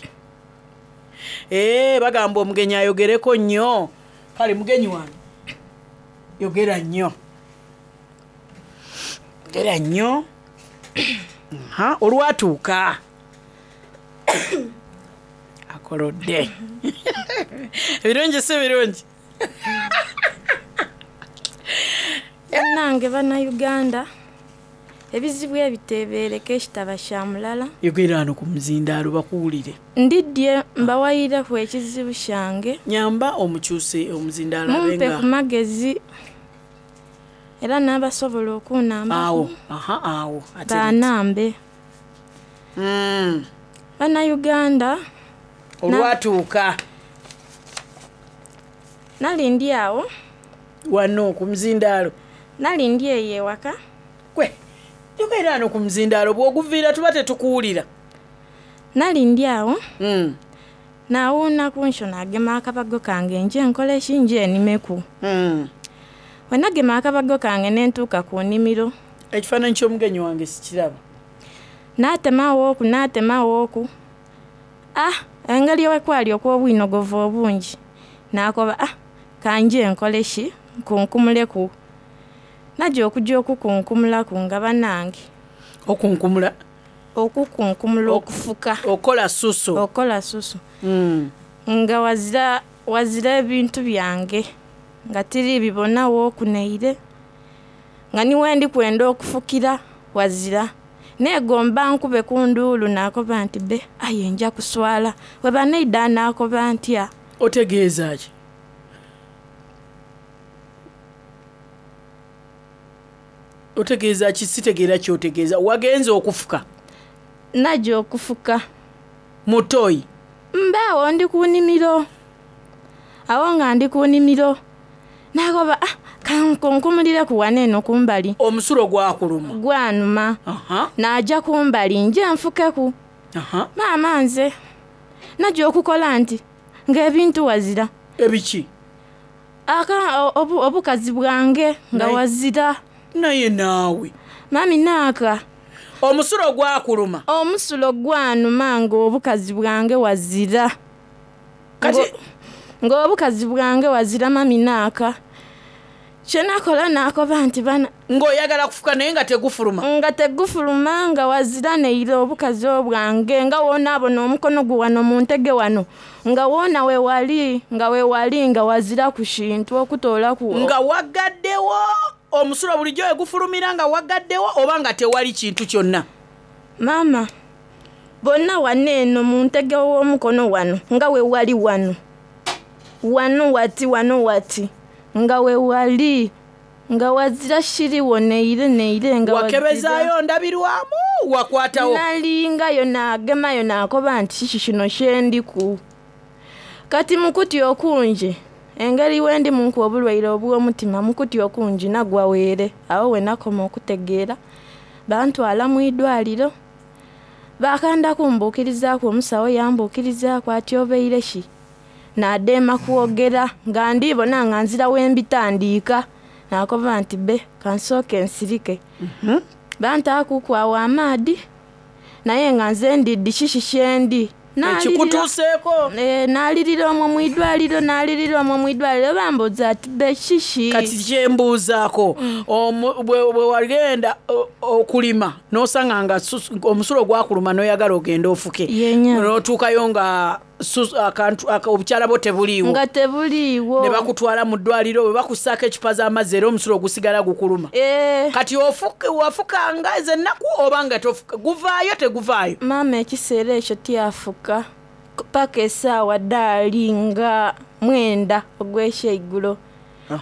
ee bagamba omugenyi ayogereko nnyo kale mugenyi wange yogera nnyo yogera nnyo olwatuuka akolodde ebirungi si birungi Bannange Bannayuganda ebizibu ebiteebereka ekitaba kya mulala. Yogera wano ku muzindaalo bakuwulire. Ndidye mbawayireku ekizibu kyange. Nyamba omukyuse omuzindaalo abe Mumpe nga ku magezi era n'abasobola okuunambaku awo aha awo ate baanambe. Bannayuganda Olwatuuka. Nali ndi awo. Wano ku muzindaalo. Nali ndi eyo ewaka. Gwe yogera wano ku muzindaalo bw'oguviira tuba tetukuwulira. Nali ndi awo. Naawuuna ku nsho naagema akabago kange nje nkole ki nje nimeku. Bwe nagema akabago kange ne ntuuka ku nnimiro. Ekifaananyi ky'omugenyi wange sikiraba. Naatemawo oku naatemawo oku. Ah, engeri wekwali okw'obwinogovu obungi naakoba ah kanje nkole ki nkunkumuleku. Naja okuja okukunkumulaku nga banange. Okunkumula? Okukunkumula okufuka. Okola susu. Okola susu. Nga wazira wazira ebintu byange nga tiri bibonawo okuneire nga ni wendi kwenda okufukira wazira. Neegomba nkube ku nduulu naakoba nti be aye nja kuswala we baneida naakoba ntya. Otegeeza ki? Otegeeza ki? Sitegeera kyotegeeza. Wagenze okufuka? Najja okufuka. Mu toyi? Mbe awo ndi ku nnimiro. Awo nga ndi ku nnimiro. Nakoba, ah, kankunkumireku wano eno kumbali. Omusulo gwakuluma? Gwanuma. Naja kumbali nje nfukeku. Maama nze najja okukola nti ng'ebintu wazira. Ebiki? Aka obu, obukazi bwange nga wazira. Naye naawe. Mami naaka. Omusulo gwakuluma? Omusulo gwanuma ng'obukazi bwange wazira. Kati ng'obukazi bwange wazira mami naaka. Kyenakola nakoba nti bana. Ng'oyagala kufuka naye nga tegufuluma? Nga tegufuluma nga wazira neire obukazi obwange nga wonaabona omukono gwe wano mu ntege wano nga woona we wali nga we wali nga wazira ku kintu okutoolaku. Nga wagaddewo omusulo bulijjo we gufulumira nga wagaddewo oba nga tewali kintu kyonna? Maama bonna wano eno mu ntege w'omukono wano nga we wali wano wano wati wano wati nga we wali nga wazira kiriwo neire neire nga Wakebezaayo ndabirwamu wakwatawo? Nalingayo nagemayo nakoba nti kiki kino kyendiku. Kati mukutya okungi engeri wendi munku obulwaire obw'omutima mukutya okungi nagwa weere awo we nakoma okutegeera bantwala mu idwaliro bakanda kumbuukirizaaku omusawo yambuukirizaaku ati obaire ki? Naadema kwogera nga ndibona nga nzira wembitandiika nakoba nti be kansooke nsirike. Bantaakuku awo amaadi naye nga nze ndiddi kiki kyendi. Ekikutuuseeko? Naalirira omwo mu idwaliro naalirira omwo mu idwaliro bambuuza ati be kiki? Kati kyembuuzaako bwe wagenda okulima n'osanga nga omusulo gwakuluma n'oyagala ogende ofuke n'otuukayo nga obukyala bwo tebuliiwo. Nga tebuliiwo. Ne bakutwala mu ddwaliro bwe bakussaako ecupa z'amazzi era omusulo gusigala gukuluma. Kati wafukanga ezo ennaku oba nga tofuka guvaayo teguvaayo? Maama ekiseera ekyo tyafuka paka essaawa ddaali nga 9 ogw'ekyeigulo.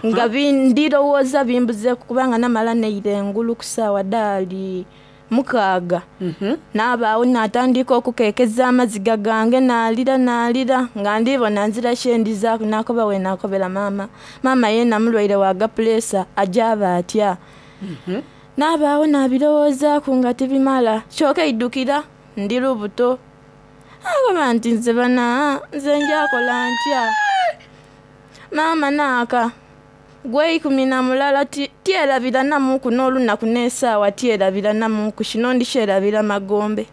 Nga ndirowooza bimbuzeeku kubanga namala neira engulu ku ssaawa ddaali 6. Naabaawo natandika okukekeza amaziga gange naalira naalira nga ndibona nzira kyendizaaku nakoba we nakobera maama. Maama yeena mulwaire wa gapuleesa ajaaba atya. Naabaawo nabirowoozaaku nga tibimala kyokka eidukira ndi lubuto. Akoba nti nze bana nze njakola ntya. Maama naaka gwe 11 tyerabira namuku n'olunaku n'essaawa tyerabira namuku kino ndikyerabira magombe.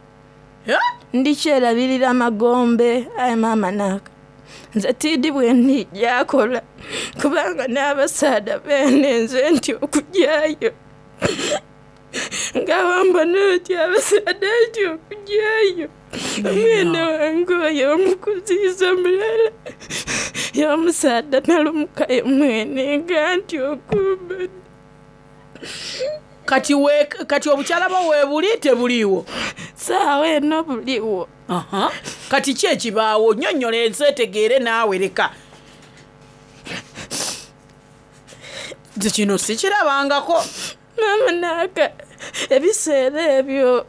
Ndikyerabirira magombe aye maama naaka nze tiidi bwe ndijjakola kubanga n'abasaadha beene nze nti okujyayo nga wambona oti abasaadha nti okujyayo omwana wange oyo omukuziiza mulala y'omusaadha nalumukayo mwene nga nti okumbona. Kati obukyala bwo weebuli tebuliiwo? Saawa eno buliwo. Kati ki ekibaawo? Nnyonnyola ensi etegeere naawe leka. Nze kino sikirabangako. Maama naaka ebiseera ebyo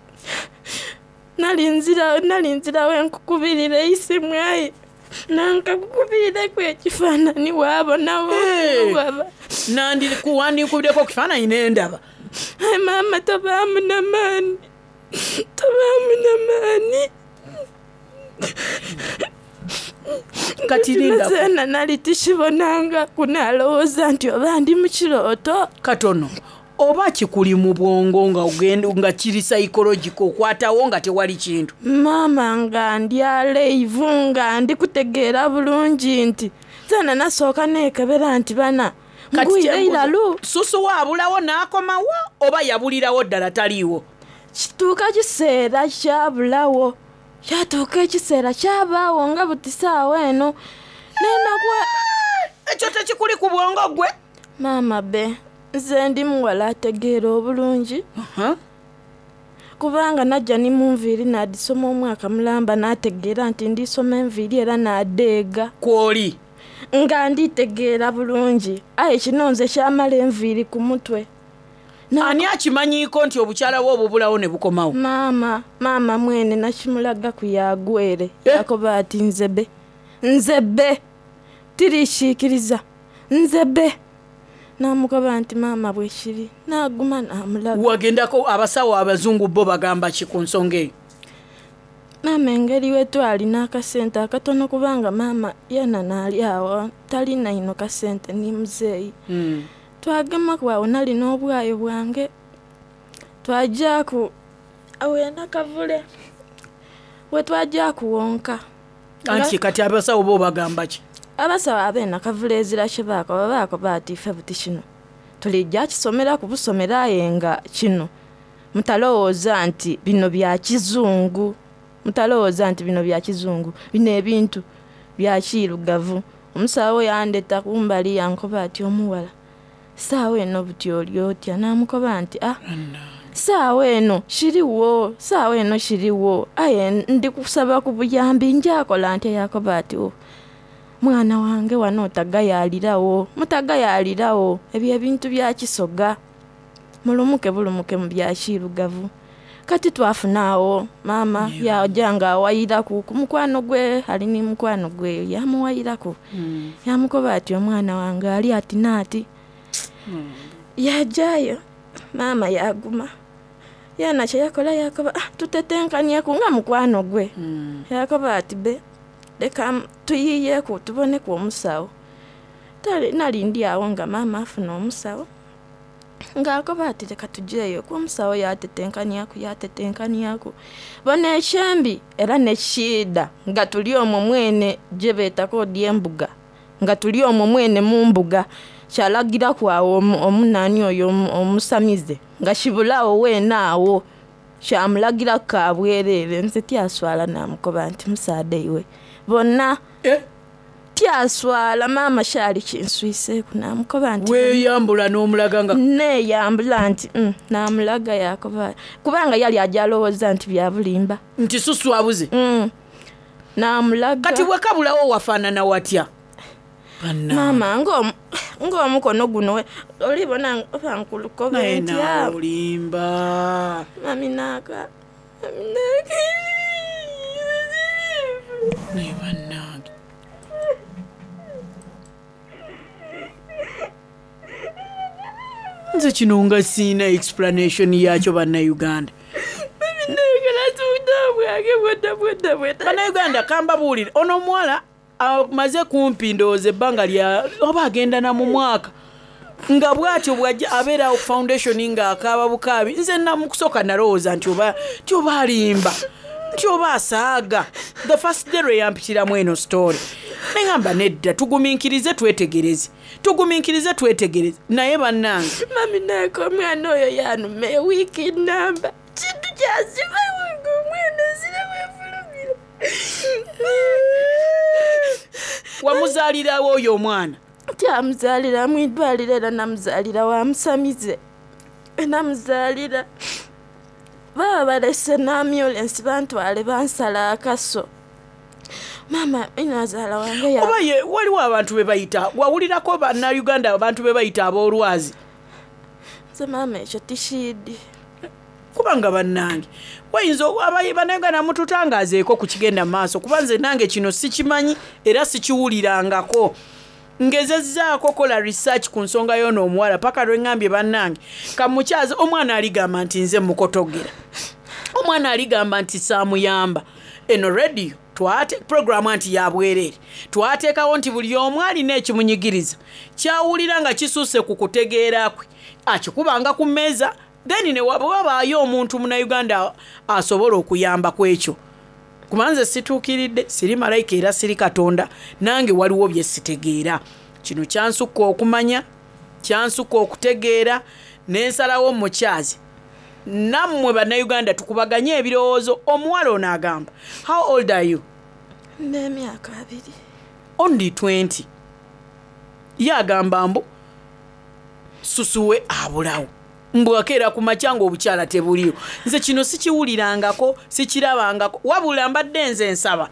nali nzirawo enkukubirira eisimu aye nankakukubirireku ekifaananyi waabonawo waba. Wandikubiddeko ekifaananyi nendaba. Aye maama tobaamu namaani tobaamu namaani. Kati linda. Zeena nali tikibonangaku nalowooza nti oba ndi mu kirooto. Katono oba kikuli mu bwongo nga ogenda nga kiri psychological okwatawo nga tewali kintu. Maama nga ndi aleivu nga ndi kutegeera bulungi nti zeena nasooka neekebera nti bana ngwire iralu. Susu waabulawo n'akomawo oba yabulirawo ddala taliiwo? Kituuka kiseera kyabulawo kyatuuka ekiseera kyabaawo nga buti saawa eno nenakwa. Ekyo tekikuli ku bwongo gwe? Maama be nze ndi muwala ategeera obulungi. Kubanga najja ni mu nviiri nadisoma omwaka mulamba nategeera nti ndisoma enviiri era nadeega. Kwoli? Nga nditegeera bulungi aye kino nze kyamala enviiri ku mutwe. Ani akimanyiiko nti obukyala bwe obubulawo ne bukomawo? Maama, maama mwene nakimulagaku yagwere yakoba ati nze be, nze be, tirikiikiriza, nze be. Namukoba nti maama bwekiri, naguma namulaga. Wagendako abasawo abazungu bo bagamba ki ku nsonga eyo? Maama engeri wetwali n'akasente akatono kubanga maama yena naali awo talina ino kasente ni muzeeyi. Twagemaku awo nali n'obwayo bwange twajaaku awo e Nakavule wetwajaaku wonka. Anti kati abasawo bo bagamba ki? Abasawo ab'e Nakavule ezira kye baakoba, baakoba ati ife buti kino tulijja kisomeraku busomera aye nga kino mutalowooza nti bino bya kizungu, mutalowooza nti bino bya kizungu, bino ebintu bya kiirugavu. Omusawo yandeta kumbali yankoba ati omuwala saawa eno buti oli otya? Namukoba nti ah, saawa eno kiriwo, saawa eno kiriwo, aye ndi kusaba ku buyambi njakola ntya? Yakoba ati oh, mwana wange wano otagayaalirawo, mutagayaalirawo, ebyo ebintu bya kisoga, mulumuke bulumuke mu bya kiirugavu. Kati twafuna awo maama yaja nga awayiraku ku mukwano gwe, ali ni mukwano gwe yamuwayiraku, yamukoba ati omwana wange ali ati naati. Yajayo maama yaguma, yena kyeyakola yakoba ah, tutetenkanyeku nga mukwano gwe. Yakoba ati be leka tuyiyeku tuboneku omusawo. Nali ndi awo nga maama afuna omusawo, ng'akoba ati leka tujeeyo ku omusawo. Yatetenkanyaku, yatetenkanyaku bona ekyembi era nekiida nga tuli omwo mwene gye beetako odi embuga, nga tuli omwo mwene mu mbuga kyalagiraku awo omunani oyo omusamize nga kibulawo weene awo kyamulagiraku kabwereere. Nze tyaswala namukoba nti musaadha iwe bonna tyaswala maama kyali kinswiseeku namukoba nti weeyambula n'omulaga nga neeyambula nti namulaga yakoba kubanga yali aja alowooza nti bya bulimba nti susu abuze. Namulaga. Kati bwekabulawo wafaanana watya? Maama ng'omukono guno olibona oba nkulukobe Naye ntya. naawe olimba. Mami naaka, mami naaka. Naye bannange. Nze kino nga siina explanation yakyo bannayuganda. Bannayuganda kambabuulire, ono omuwala amaze kumpi ndowooza ebbanga lya oba agenda na mu mwaka nga bw'atyo bw'ajja abeera ku foundation ng'akaaba bukaabi. Nze mu kusooka nalowooza nti oba nti oba alimba, nti oba asaaga. The first day lwe yampitiramu eno story neŋŋamba nedda, tugumiikirize twetegereze, tugumiikirize twetegereze. Naye bannange mami naaka omwana oyo yanuma ewiiki namba kintu kyaziba wange omwana zirabwefulumira. Wamuzaalirawo oyo omwana? Tyamuzaalira mu idwaliro era namuzaalira wa musamize, namuzaalira baba balese n'ambulensi bantwale bansala akaso. Maama inazaala wange Oba ye waliwo abantu be bayita, wawulirako bannayuganda abantu be bayita ab'olwazi? Nze maama ekyo tikiidi. Kubanga bannange wayinza bannayuganda mututangaazeeko ku kigenda mu maaso, kuba nze nange kino sikimanyi era sikiwulirangako. Ngezezzaako kola research ku nsonga y'ono omuwala paka lwe ŋŋambye bannange kamukyaze. Omwana aligamba nti nze mukotogera, omwana aligamba nti saamuyamba. Eno radio twate programu anti ya bwereere, twateekawo nti buli omu alina ekimunyigiriza kyawulira nga kisusse ku kutegeera kwe akikubanga ku mmeeza, then ne wabaayo omuntu munnayuganda asobola okuyamba ku ekyo. Kuba nze situukiridde, siri malayika era siri katonda, nange waliwo bye sitegeera. Kino kyansukka okumanya, kyansukka okutegeera, n'ensalawo mukyazi. Nammwe bannayuganda tukubaganye ebirowoozo. Omuwala ono agamba, how old are you? N'emyaka 20. Only 20. Ye agamba mbu susuwe abulawo, mbu akeera ku makya ng'obukyala tebuliyo. Nze kino sikiwulirangako, sikirabangako, wabula mbadde nze nsaba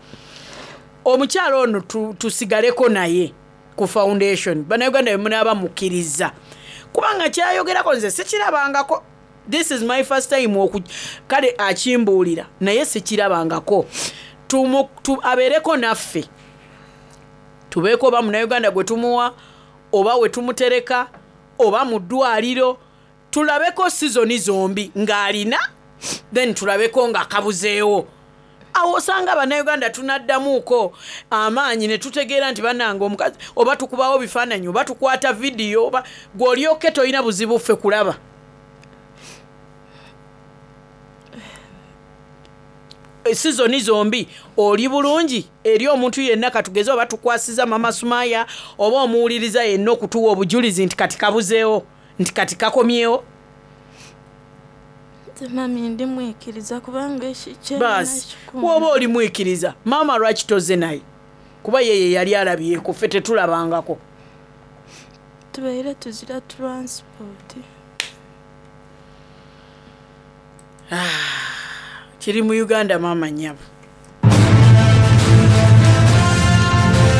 omukyala ono tusigaleko naye ku foundation. Bannayuganda bwe munaaba mukkiriza, Kubanga kyayogerako nze sikirabangako. This is my first time oku kale akimbuulira naye sikirabangako. Abeereko naffe. Tubeeko oba Munnayuganda gwe tumuwa oba we tumutereka oba mu ddwaliro, tulabeko sizoni zombi ng'alina, then tulabeko ng'akabuzeewo. Awo osanga Bannayuganda tunaddamuuko amaanyi ne tutegeera nti bannange omukazi, oba tukubawo bifaananyi oba tukwata vidiyo, oba gw'olyoke tolina buzibu ffe kulaba. Sizoni zombi oli bulungi eri omuntu yenna, katugeze oba tukwasiza Mama Sumaya oba omuwuliriza yenna okutuwa obujulizi nti kati kabuzeewo, nti kati kakomyewo. Nze mami ndi mwikiriza kubanga ekikye. Baasi woba oli mwikiriza, maama lwaki toze naye? Kuba yeye yali alabyeko, ffe tetulabangako. Tubeire tuzira transport. Kiri mu Uganda, maama nnyabo.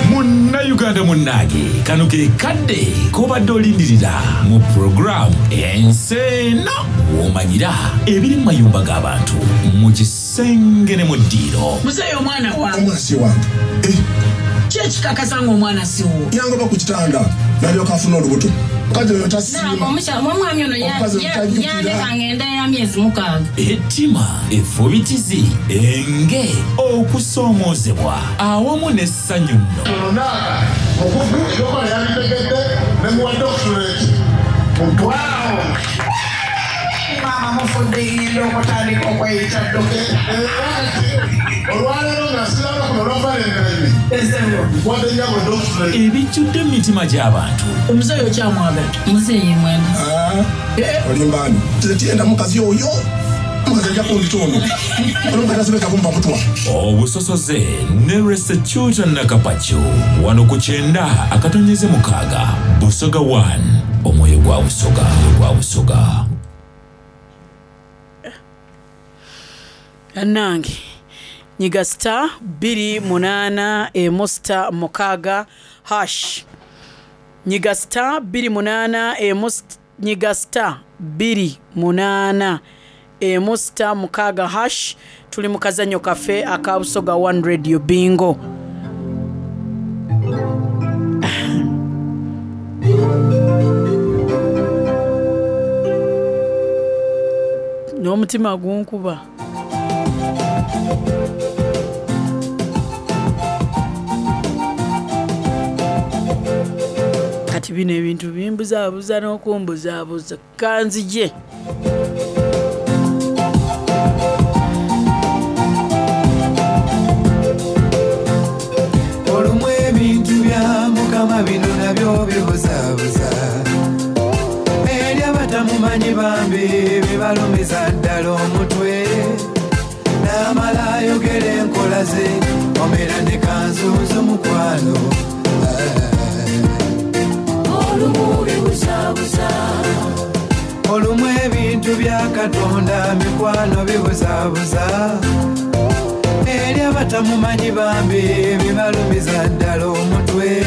Munnayuganda munnange, kano ke kadde k'obadde olindirira mu puroguramu Ensi Eno, w'omanyira ebiri mu mayumba g'abantu, mu kisenge ne mu ddiiro. Muzeeyi, omwana wange. Omwana si wange. Ki ekikakasa ng'omwana si wuwo? Yangoba ku kitanda nalyoka afuna olubuto. Omukazi oyo tasiima. Omwami ono Omukazi oyo tajjukira. yandeka ngenda ya myezi 6. Ettima, effubitizi, enge, okusoomoozebwa awamu n'essanyu nno. Onaaka mukugu, ebyokola yabitegedde ne muwa doctorate mutwalo. Maama mufudde, ngenda okutandika okweyita dokita. Olwaleero nga siraba kuno olwa Valentine, nkwadde nyabo doctorate. Ebijjudde mu mitima gy'abantu. Omuzeeyi okyamwagala? Muzeeyi mwenda. Olimbaani? Nze tiyenda mukazi oyo. Omukazi ajja kundita ono. Ono omukazi asobeka kumpa butwa. Obusosoze ne Resechuta Nakapacu wano ku 90.6 Busoga 1, omwoyo gwa Busoga, omwoyo gwa Busoga. Annange, nyiga star 28 star 6 hash. Nyiga star 28, nyiga star 281 star 6 hash. Tuli mu kazannyo kaffe aka Busoga One Radio Bingo. N'omutima gunkuba. Kati bino ebintu bimbuzaabuza n'okumbuzaabuza. Kanzije. Olumu ebintu bya Mukama bino nabyo bibuzaabuza eri abatamumanyi, bambi bibalumiza ddala omutwe. N'amala ayogera enkola ze, omera ne kanzuuzo mukwano. Olumu bibuzaabuza. Olumu ebintu bya Katonda mikwano bibuzaabuza eri abatamumanyi, bambi bibalumiza ddala omutwe.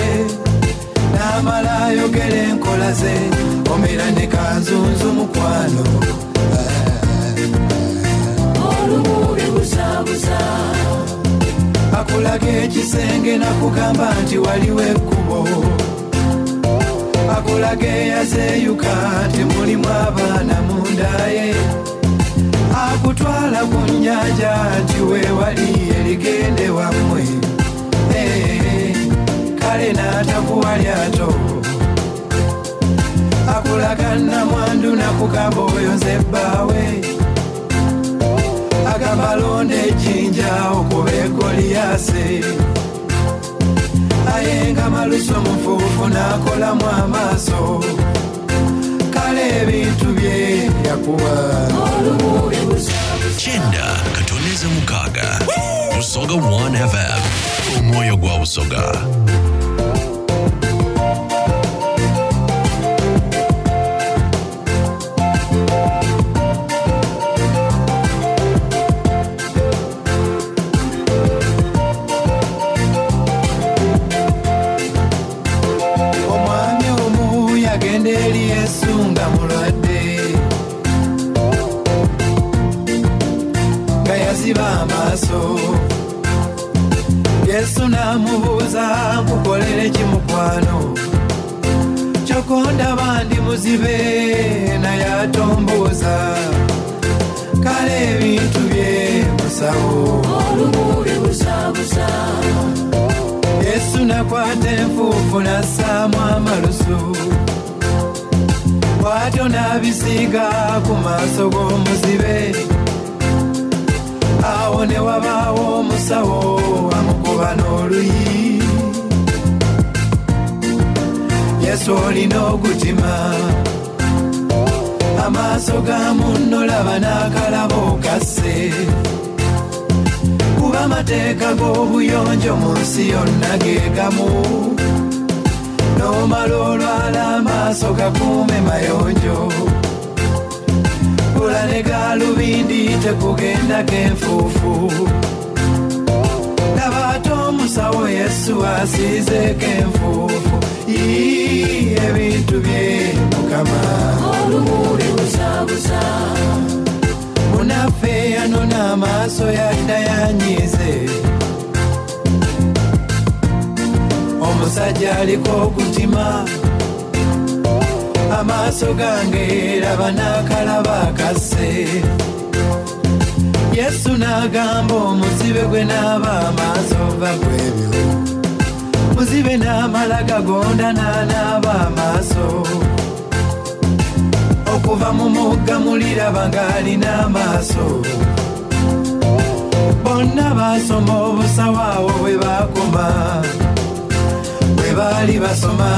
N'amala ayogera enkola ze, omera ne kanzunzu mukwano. Olumu bibuzaabuza. Akulaga ekisenge nakugamba nti waliwo ekkubo, akulaga eyazeeyuka nti mulimu abaana mundaye, akutwala ku nnyanja nti weewali erigende wammwe. Eh, kale n'atakuwa lyato, akulaga namwandu nakugamba oyo nze bbaawe, agamba londa ejjinja okuba egoliyase, aye nga maluso mufuufu n'akolamu amaaso. Kale ebintu bye yakuwa. Olumu bibuzaabuza. 90.6 Busoga 1 FM, omwoyo gwa Busoga. Omwami omu yagenda eri eri Yesu nga mulwadde nga yaziba amaaso Yesu n'amubuuza nkukolere ki mukwano kyokka ondaba ndi muzibe naye atombuuza kale ebintu bye musawo Olumu bibuzabuza. Yesu nakwata enfuufu n'assaamu amalusu bw'atyo n'abisiiga ku maaso g'omuzibe awo ne wabaawo omusawo amukuba n'oluyi Yesu olina ogutima amaaso ga munno laba n'akalabo kasse kuba amateeka g'obuyonjo mu nsi yonna ge gamu n'omala olwala amaaso gakuume mayonjo gula ne gaalubindi tekugendako enfuufu laba ate omusawo Yesu asiizeeko enfuufu Ii, ebintu bye Mukama Olumu bibuzabuza. Munaffe yanona amaaso yadda yanyiize omusajja aliko ogutima amaaso gange raba n'akalaba kasse Yesu n'agamba omuzibe gwe n'aba amaaso va kwebyo muzibe n'amala gagonda n'anaaba amaaso okuva mu mugga muliraba ng'alina amaaso bonna baasoma obusawo awo bwe baakoma bwe baali basoma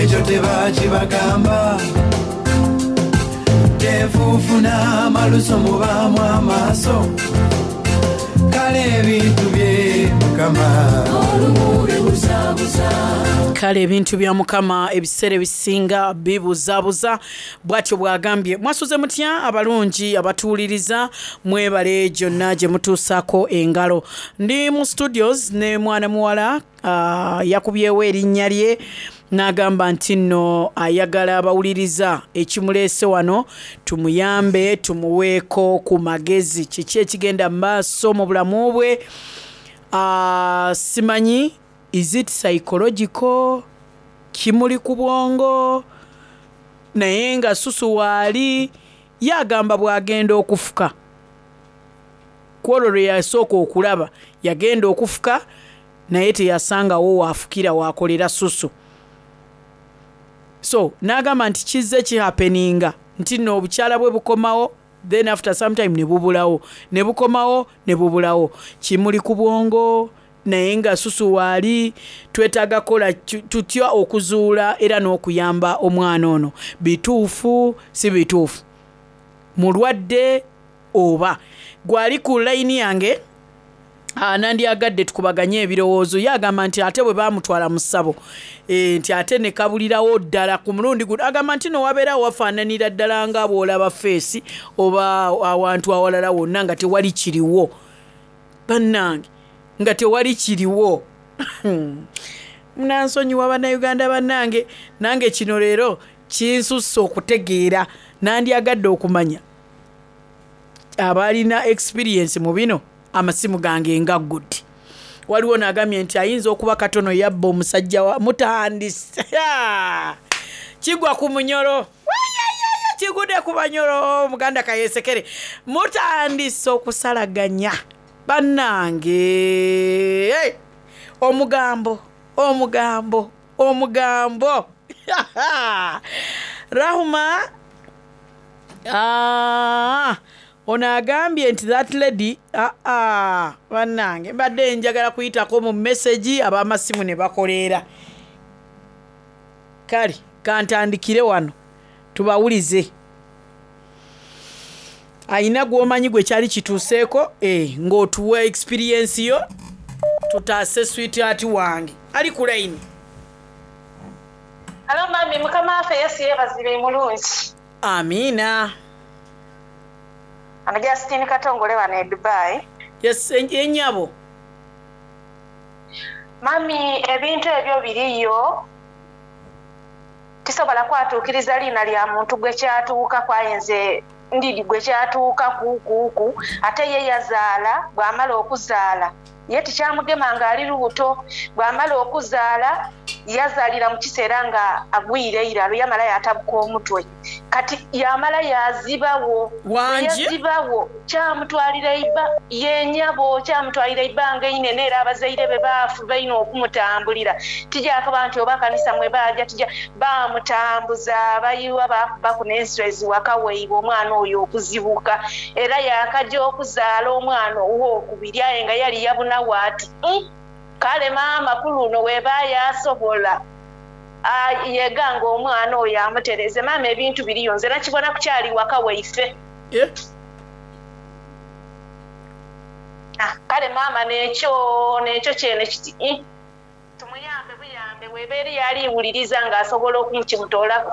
ekyo tebaakibagamba tenfuufu n'amaluso mubaamu amaaso kale ebintu bye Mukama Olumu bibuzabuza. Kale ebintu bya Mukama ebiseera ebisinga bibuzaabuza, bw'atyo bw'agambye. Mwasuze mutya abalungi abatuwuliriza, mwebale gyonna gye mutuusaako engalo. Ndi mu studios ne mwana muwala yakubyewo erinnya lye n'agamba nti nno ayagala abawuliriza ekimuleese wano tumuyambe tumuweeko ku magezi kiki ekigenda mu maaso mu bulamu bwe. Simanyi is it psychological kimuli ku bwongo naye nga susu waali yagamba bw'agenda okufuka ku olwo lwe yasooka okulaba yagenda okufuka naye teyasangawo waafukira waakolera susu so n'agamba nti kizze kihappeninga nti nno obukyala bwe bukomawo then after some time ne bubulawo ne bukomawo ne bubulawo kimuli ku bwongo naye nga susu waali twetaaga kola tutya okuzuula era n'okuyamba omwana ono bituufu si bituufu mulwadde oba gwali ku layini yange nandyagadde tukubaganye ebirowoozo ye agamba nti ate bwe baamutwala mu ssabo nti ate ne kabulirawo ddala ku mulundi guno agamba nti no wabeera wafaananira ddala nga bw'olaba feesi oba awantu awalala wonna nga tewali kiriwo bannange nga tewali kiriwo munansonyiwa bannayuganda bannange nange kino leero kinsusse okutegeera nandyagadde okumanya abalina experience mu bino amasimu gange nga good waliwo n'agambye nti ayinza okuba katono yabba omusajja wa mutandise kigwa ku munyolo kigudde ku banyolo muganda kayesekere mutandise okusalaganya bannange omugambo omugambo omugambo Rahuma ono agambye nti that lady bannange mbadde njagala kuyitako mu message ab'amasimu ne bakoleera kale kantandikire wano tubawulize ayina gw'omanyi gwe kyali kituuseeko ng'otuwa experience yo tutaase sweetheart wange ali ku line. Hello mami, Mukama waffe Yesu yeebazibwe mulungi. Amiina. Ano Justine Katongole wano e Dubai. Yes, ennyabo. Mami, ebintu ebyo biriyo. Tisobola kwatuukiriza liina lya muntu gwe kyatuukaku aye nze ndidi gwe kyatuukaku kuuku ate ye yazaala bw'amala okuzaala ye tikyamugema ng'ali lubuto bw'amala okuzaala yazaalira mu kiseera nga agwire eiralu yamala yaatabuka omutwe kati yamala yaazibawo. Wangi? Bwe yazibawo kyamutwalira eiba ye nyabo kyamutwalira eibanga einene era abazaire be baafuba inho okumutambulira tijakoba nti oba kanisa mwe baaja tija baamutambuza bayiwa baakubaku n'enswezi waka waibwe omwana oyo okuzibuka era yaakaja okuzaala omwana ow'okubiri aye nga yali yabunawo ati mm, kale maama ku luno weba yasobola yeganga omwana oyo amutereze maama ebintu biriyo nze nakibona kukyali waka waife. Kale maama n'ekyo n'ekyo kyene kiti ih tumuyambe buyambe weba eriyo ali wuliriza ng'asobola okumukimutoolaku.